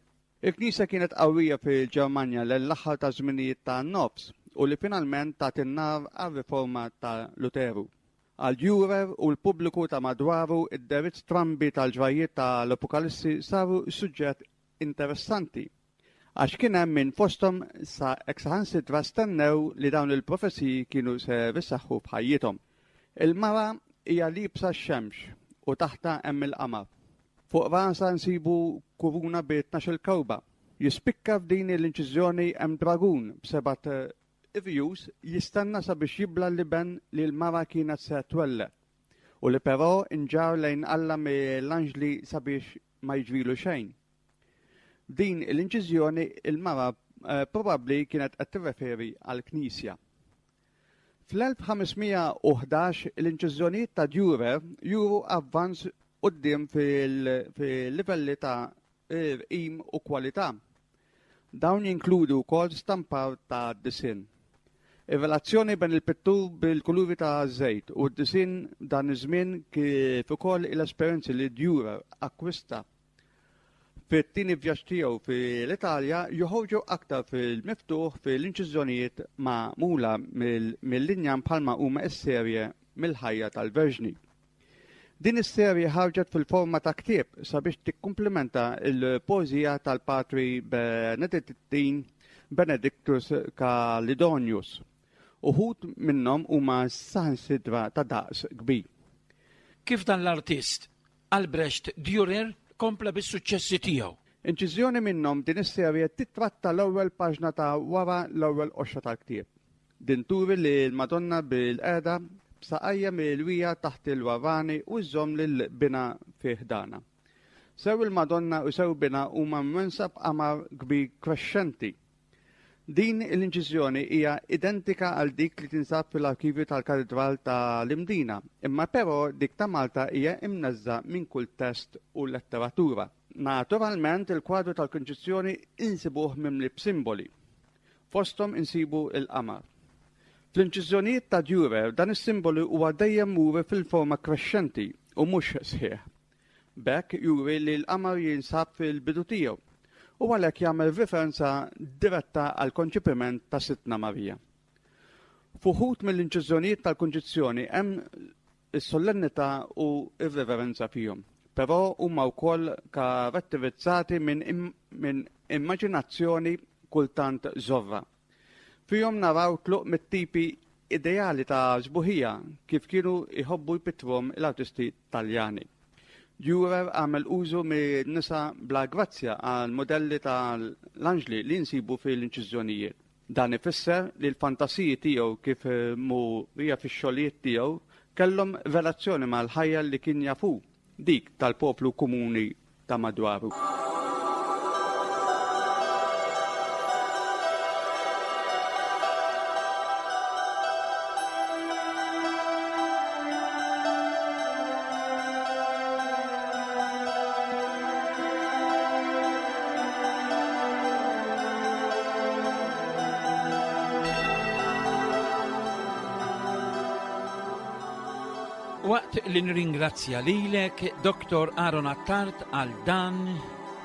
Il-Knisja kienet qawwija fil-Ġermanja l-aħħar ta' żminijiet ta' nofs u li finalment ta' in-nar għar-riforma ta' Luteru. Għal Dürer u l-pubbliku ta' madwaru, id-dehriet strambi tal-ġrajiet tal-Apokalissi saru suġġett interessanti, għax kien hemm minn fosthom sa saħansitra stennew li dawn il-profeziji kienu se jseħħu b'ħajjithom. Il-mara hija liebsa x-xemx u taħtha hemm il-qamar. Fuq rasa nsibu kuruna bi tnax-il kewkba. Jispikka f'din l-inċiżjoni hemm dragun b'sebat irjus jistenna sabiex jibla l-iben li l-mara kienet se twelled u li però inġar lejn Alla mill-anġli sabiex ma jiġrilu xejn. Din l-inċiżjoni il-mara eh, probabbli kienet qed tirreferi għall-Knisja. Fl-elf ħames mija u ħdax l-inċiżjonijiet ta' Dürer juru avvanz quddiem fil-livelli ta' irqim u kwalità. Dawn jinkludu wkoll stampar ta' disinn. Ir-relazzjoni bejn il-pittur bil-kuluri ta' żejt u d-disinn dan iż-żmien, kif ukoll l-esperjenzi li Dürer akkwista fit-tieni vjaġġ tiegħu fil-Italja, joħorġu aktar fil-miftuħ fil-inċiżjonijiet magħmula mill-linjam, bħalma huma s-serje mill-ħajja tal-Verġni. Din is-serje ħarġet fil-forma ta' ktieb sabiex tikkumplementa il-poeżija tal-Patri Benedittin Benedictus Calidonius. Uħud minnhom huma saħansitra ta' daqs kbir. Kif dan l-artist Albrecht Dürer kompla bis-suċċessi tiegħu? Inċiżjoni minnhom din is-serje titratta l-ewwel paġna ta' wara l-ewwel qoxra tal-ktieb. Din turi li l-Madonna bil-qeda b'saqajja milwija taħt il-warrani u żżomm lil binha fi ħdana. Sew il-Madonna u sew binha huma mwensa b'qamar kbir krexxenti. Din l-inċiżjoni hija identika għal dik li tinsab fil-arkivju tal-Katedral tal-Imdina, imma però dik ta' Malta hija imneżża minn kull test u letteratura. Naturalment il-kwadru tal-Kunċizzjoni insibuh mimli b'simboli. Fosthom insibu il-qamar. Fl-inċiżjonijiet ta' Dürer dan is-simbolu huwa dejjem muri fil-forma krexxenti u mhux sħiħ. B'hekk juri li l-qamar jinsab fil-bidu tiegħu u għalhekk jagħmel referenza diretta għal konċepiment ta' Sidtna Marija. F'uħud mill-inċiżjonijiet tal-Kunċizzjoni hemm is-solennità u r-reverenza fihom, però huma wkoll karatterizzati minn im-, minn immaġinazzjoni kultant żorra. Fihom naraw tluq mit-tipi ideali ta' sbuħija kif kienu jħobbu jpittruhom l-artisti Taljani. Dürer għamel użu minn nisa bla grazzja għal modelli tal-anġli li nsibu fil-inċiżjonijiet. Dan ifisser li l-fantasiji tiegħu kif murija fix-xogħlijiet tiegħu kellhom relazzjoni mal-ħajja li kien jafu, dik tal-poplu komuni ta' madwaru. Waqt li nringrazzja lilek, Doktor Aaron Attard, għal dan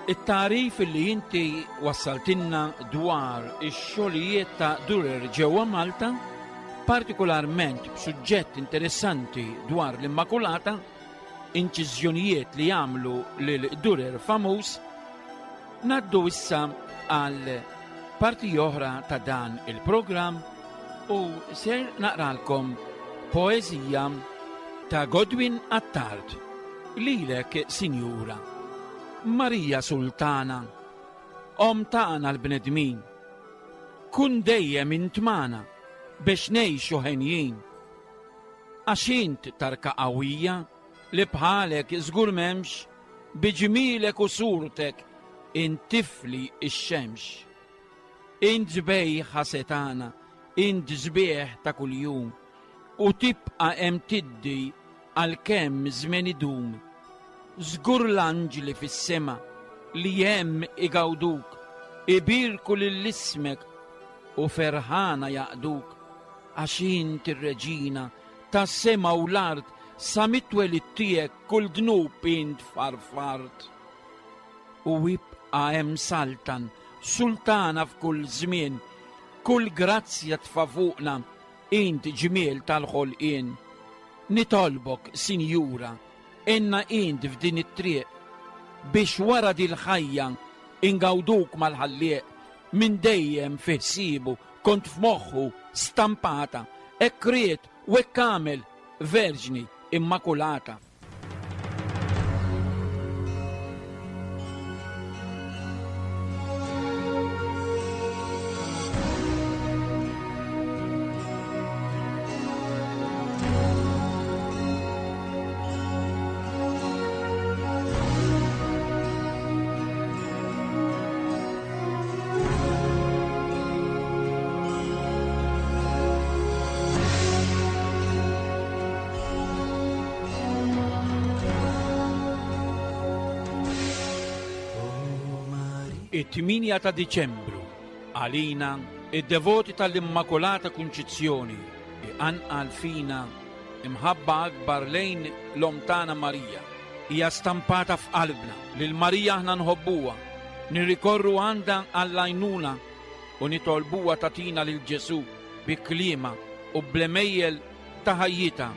it-tarif li inti wassaltinna dwar ix-xogħlijiet ta' Dürer ġewwa Malta, partikolarment b'suġġett interessanti dwar l-Immakulata, inċiżjonijiet li jagħmlu lil Dürer famuż, naddu issa għal parti oħra ta' dan il-programm u ser naqralkom poeżija ta' Godwin Attard. Lilek, Sinjura Marija Sultana, Om tagħna l-bnedmin, kun dejjem int magħna biex ngħixu henjin. Għax int tarka qawwija li bħalek żgur m'hemmx, bi ġmielek u surtek intifli x-xemx. Int sbejħa setana, int sbieħ ta' kuljum, u tibqa' hemm tiddi għalkemm żmien idum. Żgur l-anġli fis-sema li hemm igawduk, ibirku lil ismek u ferħana jaqduk, għax int ir-reġina tas-sema u l-art, sa mit-twelid tiegħek kull dnub int farfart. U ibqa' hemm saltan, sultana f'kull żmien, kull grazzja tfa' fuqna, int ġmiel tal-ħolqien. Nitolbok, Sinjura, enna int f'din it-triq, biex wara dil-ħajja ingawduk mal-ħallieq, minn dejjem fi ħsiebu kont f'moħħu stampata, hekk ried u hekk għamel, Verġni Immakulata. It-tminja ta' Diċembru, għalina, id-devoti tal-Immakulata Kunċizzjoni, iqanqal fina imħabba akbar lejn l-Omm tagħna Marija. Hija stampata f'qalbna lil Marija aħna nħobbuha, nirrikorru għandha għall-għajnuna u nitolbuha tagħtina lil Ġesù bi kliema u bl-għemejjel ta' ħajjitha.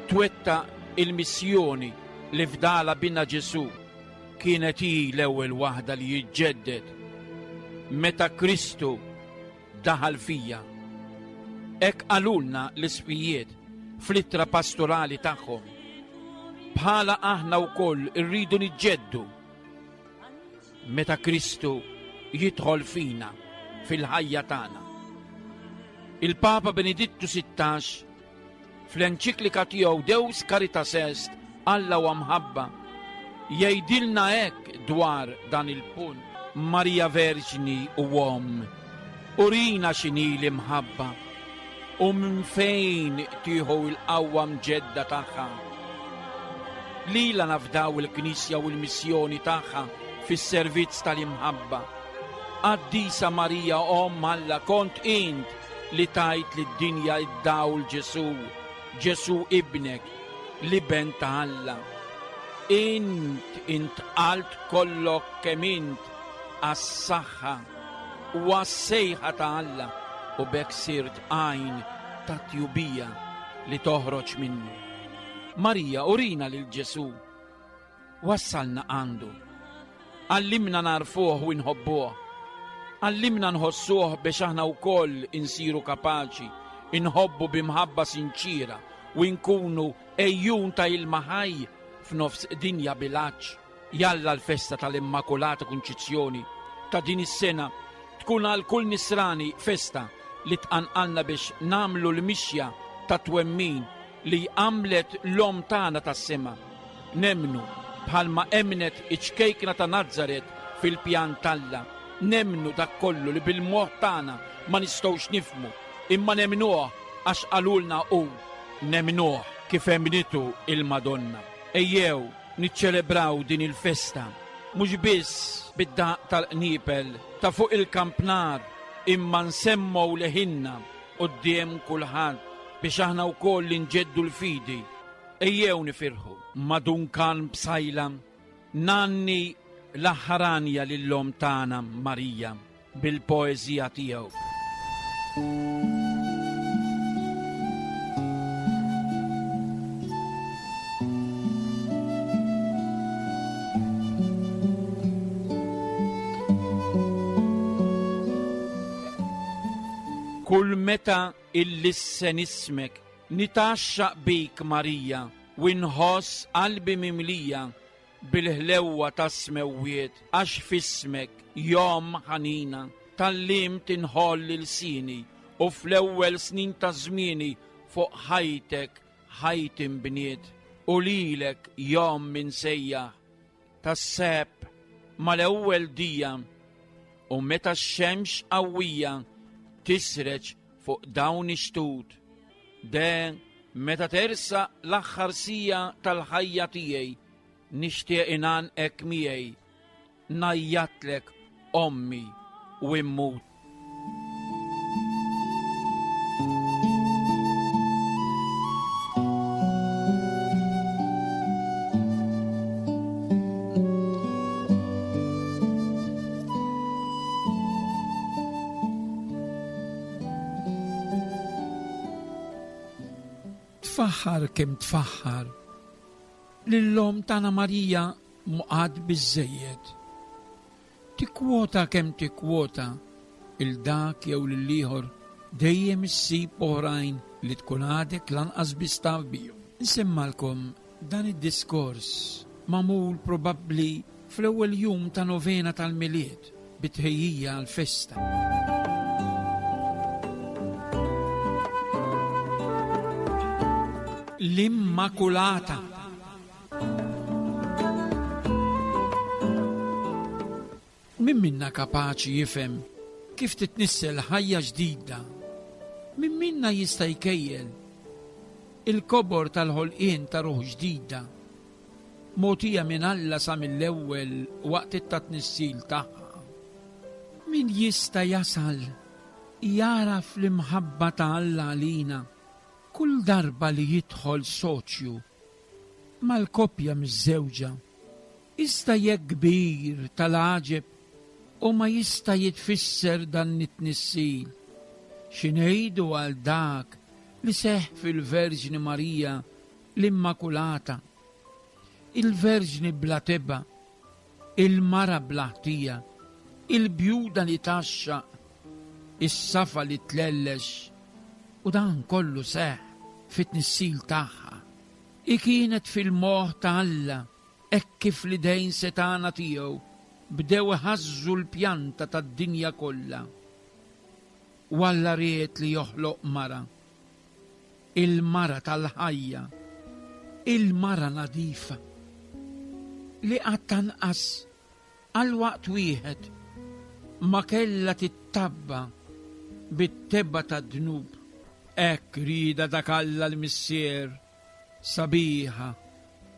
Twetta il-missjoni li fdala bina Ġesù. Kienet hi l-ewwel waħda li jiġġedded meta Kristu daħal fija. Hekk qalulna l-isqfijiet fl-ittra pastorali tagħhom. Bħala aħna wkoll irridu niġġeddu meta Kristu jidħol fina fil-ħajja tagħna. Il-Papa Benedittu sittax fl-enċiklika tiegħu Deus Caritas Est, Alla huwa mħabba, jgħidilna hekk dwar dan il-punt. Marija Verġni u Omm, urina x'inhi l-imħabba u minn fejn tieħu l-qawwa mġedda tagħha. Lilha nafdaw il-Knisja u l-missjoni tagħha fis-servizz tal-imħabba. Qaddisa Marija Omm Alla, kont int li tajt lid-dinja id-dawl Ġesu, Ġesu ibnek, l-iben ta' Alla. Int intqalt kollok kemm int għas-saħħa u għas-sejħa ta' Alla u b'hekk sirt għajn ta' tjubija li toħroġ minnu. Marija, urina lil Ġesu, wassalna għandu. Għallimna narfuh u nħobbuh. Għallimna nħossuh biex aħna wkoll insiru kapaċi inħobbu b'imħabba sinċira u nkunu ejjun ta' ilma ħaj f'nofs dinja bil-għatx. Jalla l-festa tal-Immakulata Kunċizzjoni ta' din is-sena tkun għal kull nisrani festa li tqanqalna biex namlu l-mixja ta' twemmin li għamlet l-om tagħna tas-sema. Nemnu bħalma emnet iċ-ċkejkna ta' Nazaret fil-pjan t'Alla. Nemnu dak kollu li bil-moħħ tagħna ma nistgħux nifhmu, imma nemnuh għax qalulna hu. Nemnuh kif emnitu il-Madonna. Ejjew niċċelebraw din il-festa mhux biss bid-daq tal-qniepel ta' fuq il-kampnar, imma nsemmew leħinna quddiem kulħadd biex aħna wkoll inġeddu l-fidi. Ejjew nifirħu madunkan bsajla nanni l-aħħaranja lil-lom tagħna Marija bil-poeżija tiegħu. Kull meta illissen ismek nitaxxaq bik Marija u nħoss qalbi mimlija bil-ħlewwa tas-smewwiet, għax f'ismek jom ħanina tal-lim tinħoll il-sini u fl-ewwel snin ta' żmieni fuq ħajtek ħajti nbniet u lilek jom minsejjaħ tas-seb mal-ewwel dija u meta x-xemx qawwija tisreġ fuq dawn ix-xtut. De meta tersa l-aħħar sija tal-ħajja tiegħi nixtieq ingħanqek miegħi, ngħajjatlek ommi u immut. Tfaħħar kemm tfaħħar lil-lom tagħna Marija muqad biżżejjed. Tikkwota kemm tikkwota il dak jew lil ieħor dejjem issib oħrajn li tkun għadek lanqas biss taf bihom. Nsemmalkom dan id-diskors magħmul probabbli fl-ewwel jum ta' novena tal-Milied bitħejjija għall-festa. L-Immakulata. Min minna kapaċi jifhem kif titnissel ħajja ġdida? Min minna jista' jkejjel il-kobor tal-ħolqien ta' ruħ ġdida mogħtija minn Alla sa mill-ewwel waqt it-tnissil tagħha? Min jista' jasal jaraf l-imħabba ta' Alla għalina kull darba li jidħol soċju mal-koppja miż-żewġa, iżda jekk kbir tal-għaġeb u ma jista' jitfisser dan it-tnissil. Xi ngħidu għal dak li seħħ fil-Verġni Marija l-Immakulata, il-Verġni bla tebgħa, il-mara bla ħtija, il-bjuda li taxxaq, is-safa li tlellex, U dan kollu seħħ fit-tnissil tagħha. I kienet fil-moħħ ta' Alla hekk kif l-idejn setgħana tiegħu bdew iħażżu l-pjanta tad-dinja kollha. U Alla ried li joħloq mara, il-mara tal-ħajja, il-mara nadifa, li qatt anqas għal waqt wieħed ma kellha tittabba bit-tebba tad-dnub. Hekk rieda dak Alla l-Missier, sabiħa,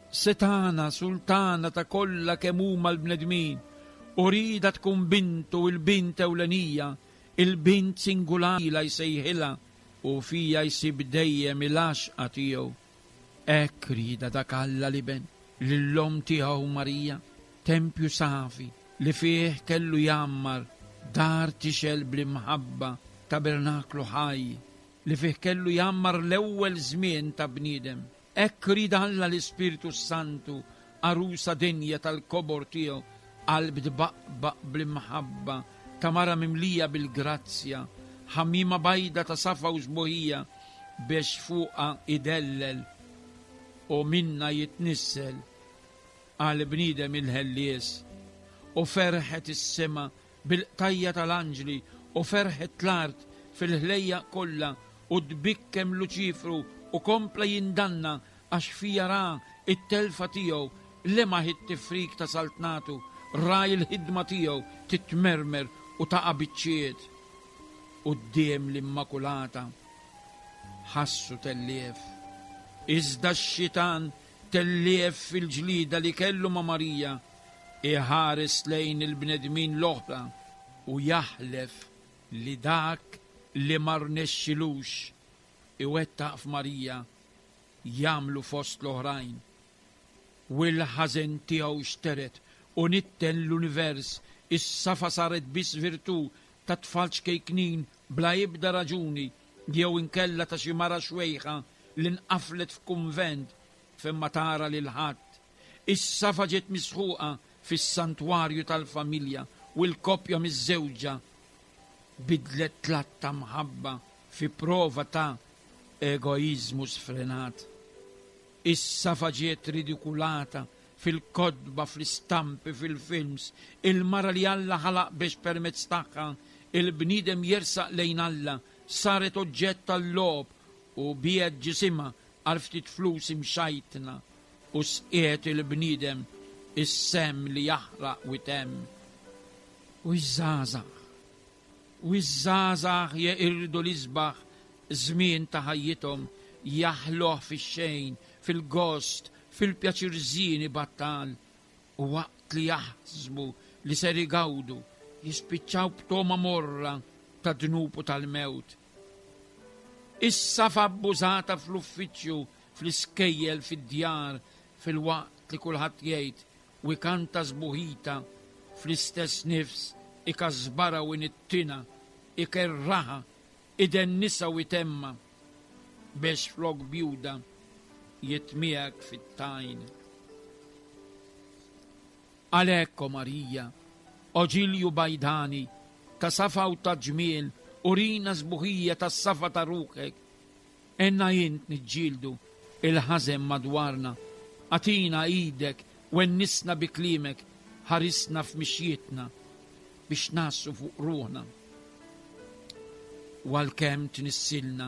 setana, sultana ta' kollha kemm huma l-bnedmin, u rieda tkun bintu, il-bint ewlenija, il-bint singulari la jsejħilha u fija jsib dejjem il-għaxqa tiegħu. Hekk rieda dak Alla l-Iben lill-omm tiegħu Marija, tempju safi li fih kellu jgħammar dar tixel bl-imħabba, tabernaklu ħaj li fih kellu jgħammar l-ewwel żmien ta' bniedem. Hekk rieda Alla l-Ispirtu Santu, għarusa dinja tal-kobor tiegħu, qalb tbaqbaq bl-imħabba ta' mara mimlija bil-grazzja, ħamima bajda ta' safa u sbuħija biex fuqha idellel u minna jitnissel għal bniedem il-ħellies. U ferħet is-sema bil-qtajja tal-anġli u ferħet l-art fil-ħlejja kollha, u tbikkem Luċifru u kompla jindanna għax fija ra it-telfa tiegħu, lemaħ it-tifrik ta' saltnatu, ra il-ħidma tiegħu titmermer u taqa' biċċiet. Quddiem l-Immakulata ħassu tellief. Iżda x-xitan tellief fil-ġlida li kellu ma' Marija, iħares lejn il-bnedmin l-oħra u jaħlef li dak li ma rnexxilux iwettaq f'Marija jagħmlu fost l-oħrajn. U l-ħażen tiegħu xteret u nitten l-univers, is-safa saret biss virtù ta' tfal ċkejknin bla ebda raġuni, jew inkella ta' xi mara xwejħa li nqaflet f'kunvent fejn ma tara lil ħadd. Is-safa ġiet misħuqa fis-santwarju tal-familja u l-koppja miż-żewġa bidlet tlat ta' mħabba fi prova ta' egoizmu sfrenat. Is-safa ġiet ridikulata fil-kotba, fl-istampi, fil-films. Il-mara li Alla ħalaq biex permezz tagħha il-bniedem jersaq lejn Alla saret oġġett tal-logħob u biegħet ġisimha għal ftit flus imxajtna u sqiet il-bniedem is-sem li jaħraq u jtemm. U ż-żgħażagħ, u ż-żgħażagħ jeqirdu l-isbaħ żmien ta' ħajjithom, jaħluh fix-xejn, fil-gost, fil-pjaċir żieni battal, u waqt li jaħsbu li ser igawdu, jispiċċaw b'toma morra ta' dnub u tal-mewt. Is-safa abbużata fl-uffiċċju, fl-iskejjel, fid-djar, fil-waqt li kulħadd jgħid u jkanta sbuħita, fl-istess nifs ikasbara u inittina, ikerraha, idennisa u itemma, biex flok bjuda jitmiegħek fit-tajn. Għalhekk, o Marija, o ġilju bajdani, ta' safa u ta' ġmiel, urina sbuħija tas safa ta' ruħek. Enna int niġġieldu il-ħażen madwarna, għatina idek u ennisna bi klimek, ħarisna f'mixjietna biex nassu fuq ruħna. U għalkemm tnissilna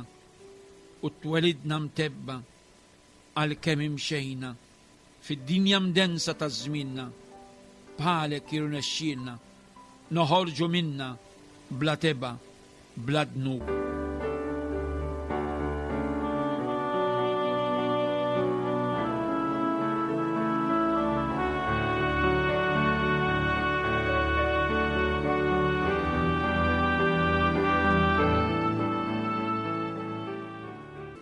u twelidna mtebba, għalkemm imxejna fid-dinja mdensa ta' żmienna, bħalek jirnexxielna noħorġu minna bla teba, bla dnub.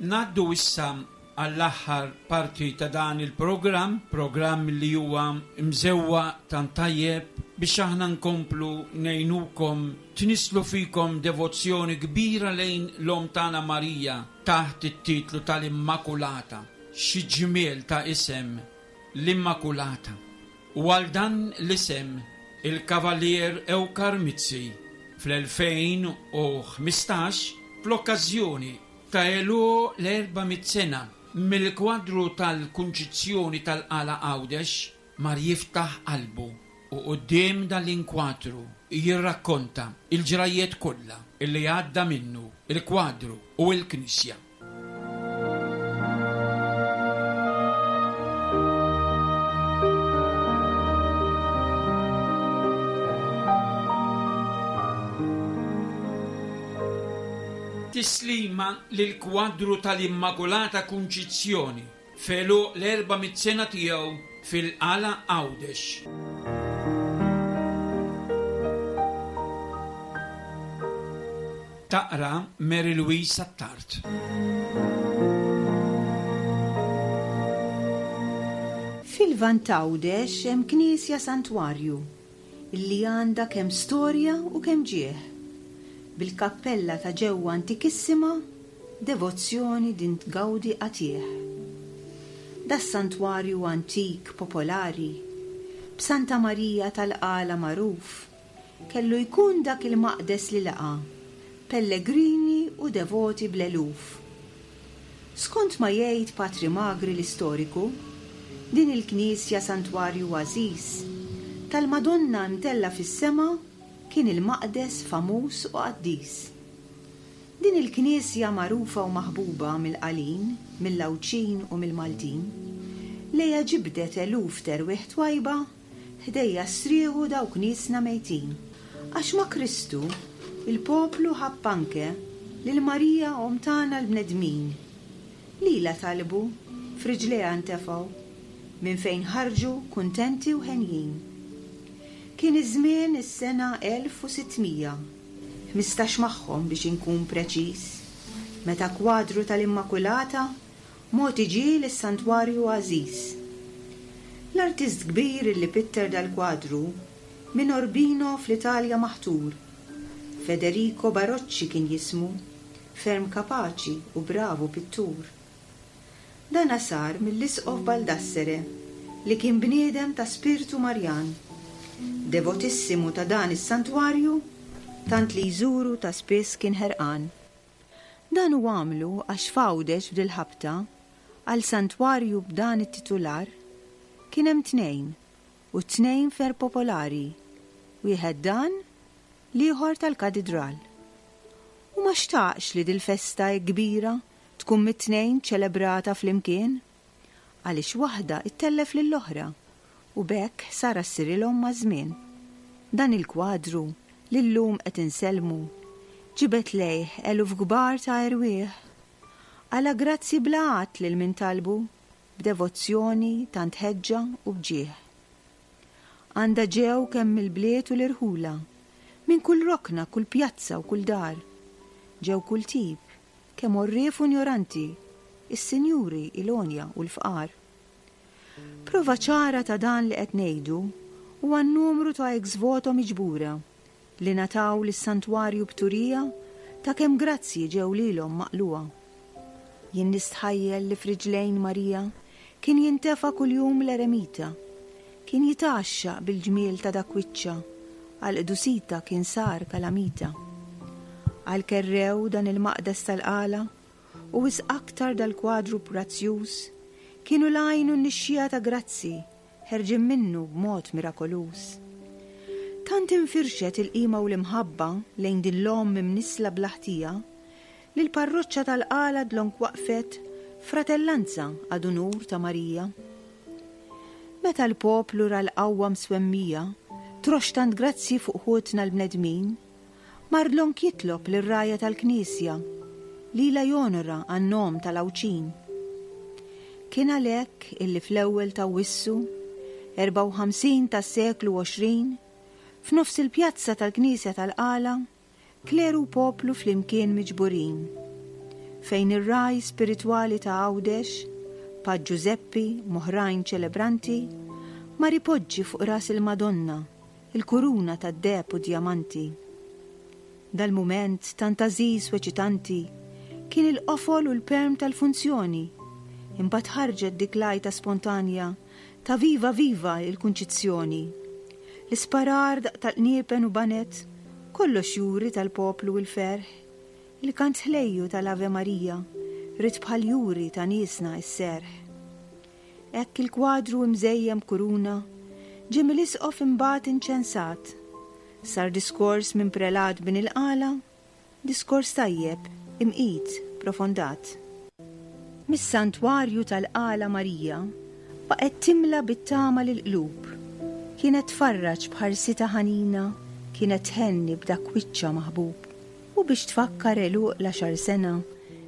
Naddu issa għall-aħħar parti ta' dan il-programm, programm li huwa mżewwa tant tajjeb biex aħna nkomplu ngħinukom tnislu fikom devozzjoni kbira lejn l-Omm tagħna Marija taħt it-titlu tal-Immakulata. Xi ġmiel ta' isem, l-Immakulata. U għal dan l-isem il-Kavalier Ewkar Mizzi fl-elfejn u ħmistax fl-okkażjoni ta' għeluq l-erba' mitt sena mill-kwadru tal-Kunċizzjoni tal-Qala Għawdex mar jiftaħ qalbu u quddiem dal-inkwadru jirrakkonta il-ġrajiet kollha illi għadda minnu il-kwadru u l-knisja. Tislima lill-kwadru tal-Immakulata Kunċizzjoni f'għeluq l-erba' mitt sena tiegħu fil-Qala Għawdex. Taqra Mary Louise Attard. Fil-Lvant t'Għawdex hemm knisja santwarju illi għandha kemm storja u kemm ġieħ. Bil-kappella ta' ġewwa antikissima, devozzjoni din tgawdi qatih. Das-santwarju antik popolari, b'Santa Marija tal-Qala magħruf, kellu jkun dak il-maqdes li laqa, pellegrini u devoti bl-eluf. Skont ma jgħid Patri Magri l-istoriku, din il-knisja santwarju għażiż tal-Madonna mtella fis-sema kien il-maqdes famuż u qaddis. Din il-knisja magħrufa u maħbuba mill-Qalin, mill-Għawdxin u mill-Maltin, lejha ġibdet eluf terwieħ twajba ħdejja strieħu dawk niesna mejtin. Għax ma' Kristu il-poplu ħabb anke lil Marija omm tagħna l-bnedmin. Lilha talbu, f'riġlejha ntefgħu, minn fejn ħarġu kuntenti u henjin. Kien iż-żmien is-sena elf u sittmija, ħmistax magħhom biex inkun preċiż, meta kwadru tal-Immakulata mogħti ġie lis-santwarju għażiż. L-artist kbir li pitter dal-kwadru minn Urbino fl-Italja maħtur, Federico Barocci kien jismu, ferm kapaċi u bravu pittur. Dana sar mill-Isqof Baldassere li kien bniedem ta' spirtu Marjan, devotissimu ta' dan is-santwarju, tant li jżuru ta' spiss kien ħerqan. Dan hu għamlu għax f'Għawdex f'dil-ħabta għal santwarju b'dan it-titular kien hemm tnejn u tnejn fer popolari, wieħed dan, l-ieħor tal-katidral. U ma xtaqx li dil-festa hekk kbira tkun mit-tnejn ċelebrata flimkien, għaliex waħda ittellef lill-oħra u b'hekk sara ssirilhom maż-żmien. Dan il-kwadru li llum qed insellmu ġibet lejh eluf kbar ta' erwieħ. Għala grazzi bla għadd lil min talbu b'devozzjoni tant ħeġġa u bġieħ. Għandha ġew kemm mill-bliet u l-irħula, minn kull rokna, kull pjazza u kull dar. Ġew kull tip, kemm orrief u ignoranti, is-sinjuri, il-onja u l-fqar. Prova ċara ta' dan li qed ngħidu huwa n-numru ta' ex voto miġbura li nataw lis-santwarju b'turija ta' kemm grazzi ġew lilhom maqluha. Jien nistħajjel li f'riġlejn Marija kien jintefa' kuljum l-eremita, kien jitgħaxxaq bil-ġmiel ta' dak wiċċha, għal qdusita kien sar kalamita. Għal kerrew dan il-maqdes tal-Qala u wisq aktar dal-kwadru prezzjuż kienu l-għajn u n-nixxija ta' grazzi ħerġin minnu b'mod mirakoluż. Tant infirxet il-qima u l-imħabba lejn din l-omm imnisla bl-ħtija li l-parroċċa tal-Qala dlonk waqfet fratellanza għad unur ta' Marija. Meta l-poplu ra l-qawwa mswemmija trox tant grazzi fuq ħutna l-bnedmin, mar dlonk jitlob lir-rajja tal-Knisja lilha jonora għan-nom tal-Għawdxin. Kien għalhekk illi fl-ewwel ta' Wissu, erbgħa u ħamsin tas-seklu għoxrin, f'nofs il-pjazza tal-Knisja tal-Qala, kleru u poplu flimkien miġburin, fejn ir-raj spiritwali ta' Għawdex, Pa Giuseppi moħrajn ċelebranti, mar ipoġġi fuq ras il-Madonna il-kuruna tad-deheb u djamanti. Dal-mument tant għażiż u eċitanti kien il-qofol u l-perm tal-funzjoni, imbagħad ħarġet dik l-għajta spontanja ta' viva viva il-Kunċizzjoni. L-isparar daq tal-qniepen u banet, kollox juri tal-poplu u l-ferħ Il-kant ħlejju tal-Ave Marija ried bħal juri ta' niesna s-serħ. Hekk il-kwadru imżejjem kuruna ġie mill-isqof imbagħad inċensat. Sar diskors minn prelat bin il-qala, diskors tajjeb, imqit, profondat. Mis-santwarju tal-Qala Marija baqgħet timla bit-tama lill-qlub. Kienet tfarraġ b'ħarsita ħanina, kienet tħenni b'dak wiċċha maħbub. U biex tfakkar għeluq l-għaxar sena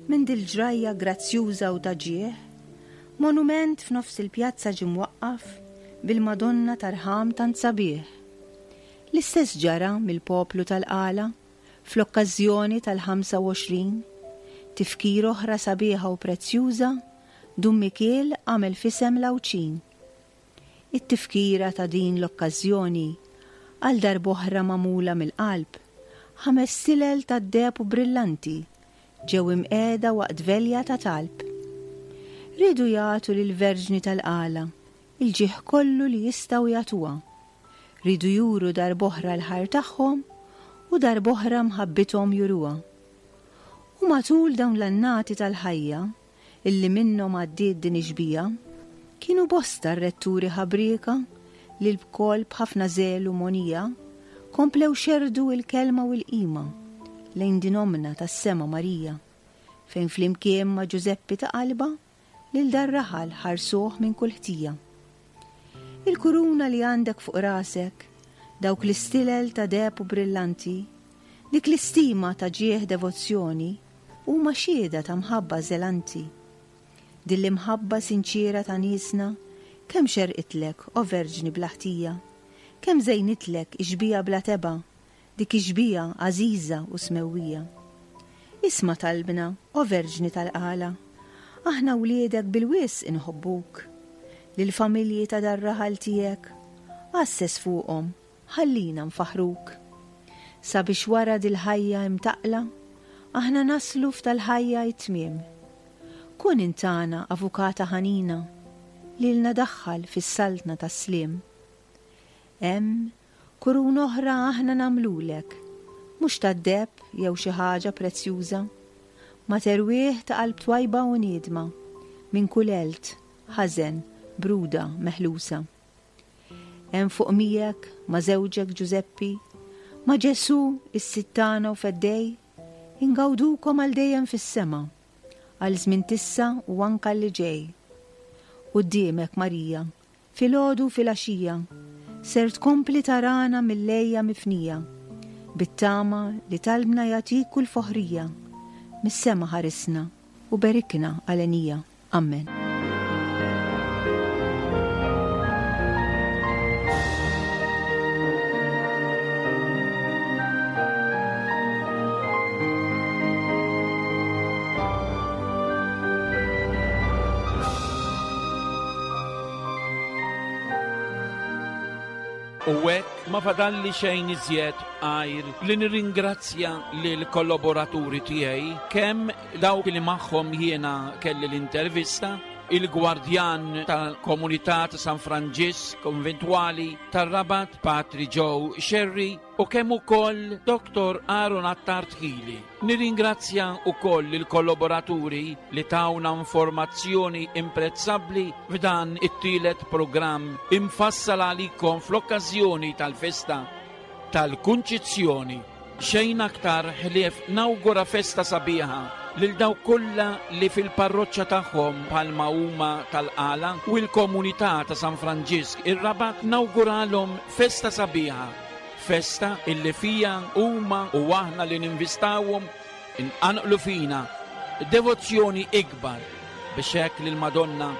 minn dil-ġrajja grazzjuża u ta' ġieħ, monument f'nofs il-pjazza ġie mwaqqaf bil-Madonna tarħam tant sabiħ. L-istess ġara mill-poplu tal-Qala fl-okkażjoni tal-ħamsa u għoxrin, tifkir oħra sabiħa u prezzjuża, Dun Mikiel għamel f'isem l-Għawdxin. It-tifkira ta' din l-okkażjoni għal darb'oħra magħmula mill-qalb, ħames silel tad-deheb u brillanti ġew imqiegħda waqt velja ta' talb. Riedu jagħtu lill-Verġni tal-Qala il-ġieħ kollu li jistgħu jagħtuha. Riedu juru darb'oħra l-ħajr tagħhom u darb'oħra mħabbithom juruha. U matul dawn l-annati tal-ħajja illi minnhom għaddiet din ix-xbieha, kienu bosta r-retturi ħabrieka li l-bkoll b'ħafna żelu monija komplew xerdu il-kelma u l-qima lejn din omna tas-sema Marija, fejn flimkien ma' Ġużeppi ta' qalba lil dar-raħal ħarsuh minn kull ħtija. Il-kuruna li għandek fuq rasek, dawk l-istilel ta' deheb u brillanti, dik l-istima ta' ġieħ devozzjoni, huma xhieda ta' mħabba żelanti. Din l-imħabba sinċiera ta' niesna, kemm xerqitlek, o Verġni bla ħtija, kemm żejnitlek ix-xbieha bla teba', dik ix-xbieha għażiża u smewwija. Isma' talbna, o Verġni tal-Qala, aħna wliedek bil-wisq inħobbuk. Lill-familji ta' dar-raħal tiegħek, għasses fuqhom, ħallina nfaħruk. Sabiex wara dil-ħajja imtaqla, aħna naslu f'tal-ħajja it-tmiem. Kun intana avukata ħanina, lilna daħħal fis-saltna tas-sliem. Hemm kurun oħra aħna nagħmlulek, mhux tad-deheb jew xi ħaġa prezzjuża, ma terwieħ ta' qalb twajba u niedma, minn kull għelt, ħażen, bruda, meħlusa. Hemm fuq miegħek ma' żewġek Ġużeppi, ma' Ġesù is-Sid tagħna u Feddej, ingawdukom għal dejjem fis-sema, għal żmien tissa u anka li ġej. Quddiemek Marija, filgħodu u filgħaxija, ser tkompli tarana mill-lejja mifnija, bit-tama li talbna jagħtik kull foħrija, mis-sema ħarisna u berikna għalenija. Amen. U hekk ma fadalli xejn iżjed għajr li nirringrazzja lil kollaboraturi tiegħi, kemm dawk li magħhom jiena kelli l-intervista, il-gwardjan tal-komunità ta' San Franġisk Konventwali tar-Rabat, Patri Joe Scerri, u kemm ukoll Doktor Aaron Attard Hili. Nirringrazzja ukoll il-kollaboraturi li tawna informazzjoni imprezzabbli f'dan it-tielet programm imfassal għalikom fl-okkażjoni tal-festa tal-Kunċizzjoni. Xejn aktar ħlief nawgura festa sabiħa lil dawk kollha li fil-parroċċa tagħhom bħalma huma tal-Qala u l-komunità ta' San Franġisk ir-Rabat, nawguralhom festa sabiħa, festa illi fija huma u aħna li ninvistawhom inqanqlu fina devozzjoni ikbar biex hekk lil Madonna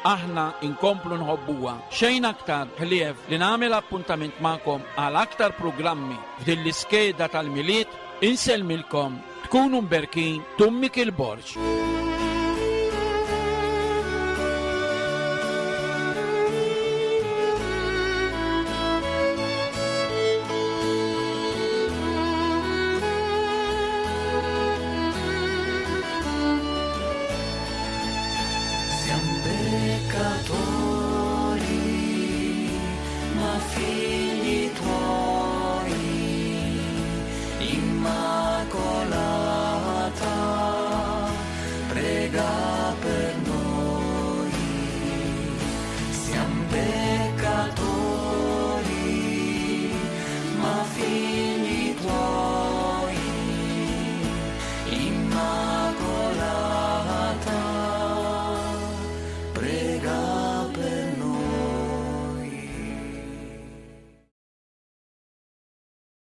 aħna inkomplu nħobbuha. Xejn aktar ħlief li nagħmel appuntament magħkom għal aktar programmi f'din l-iskeda tal-Milied. Insellmilkom, tkunu mberkin, Dun Mikiel Borg. Siamo peccatori, ma figli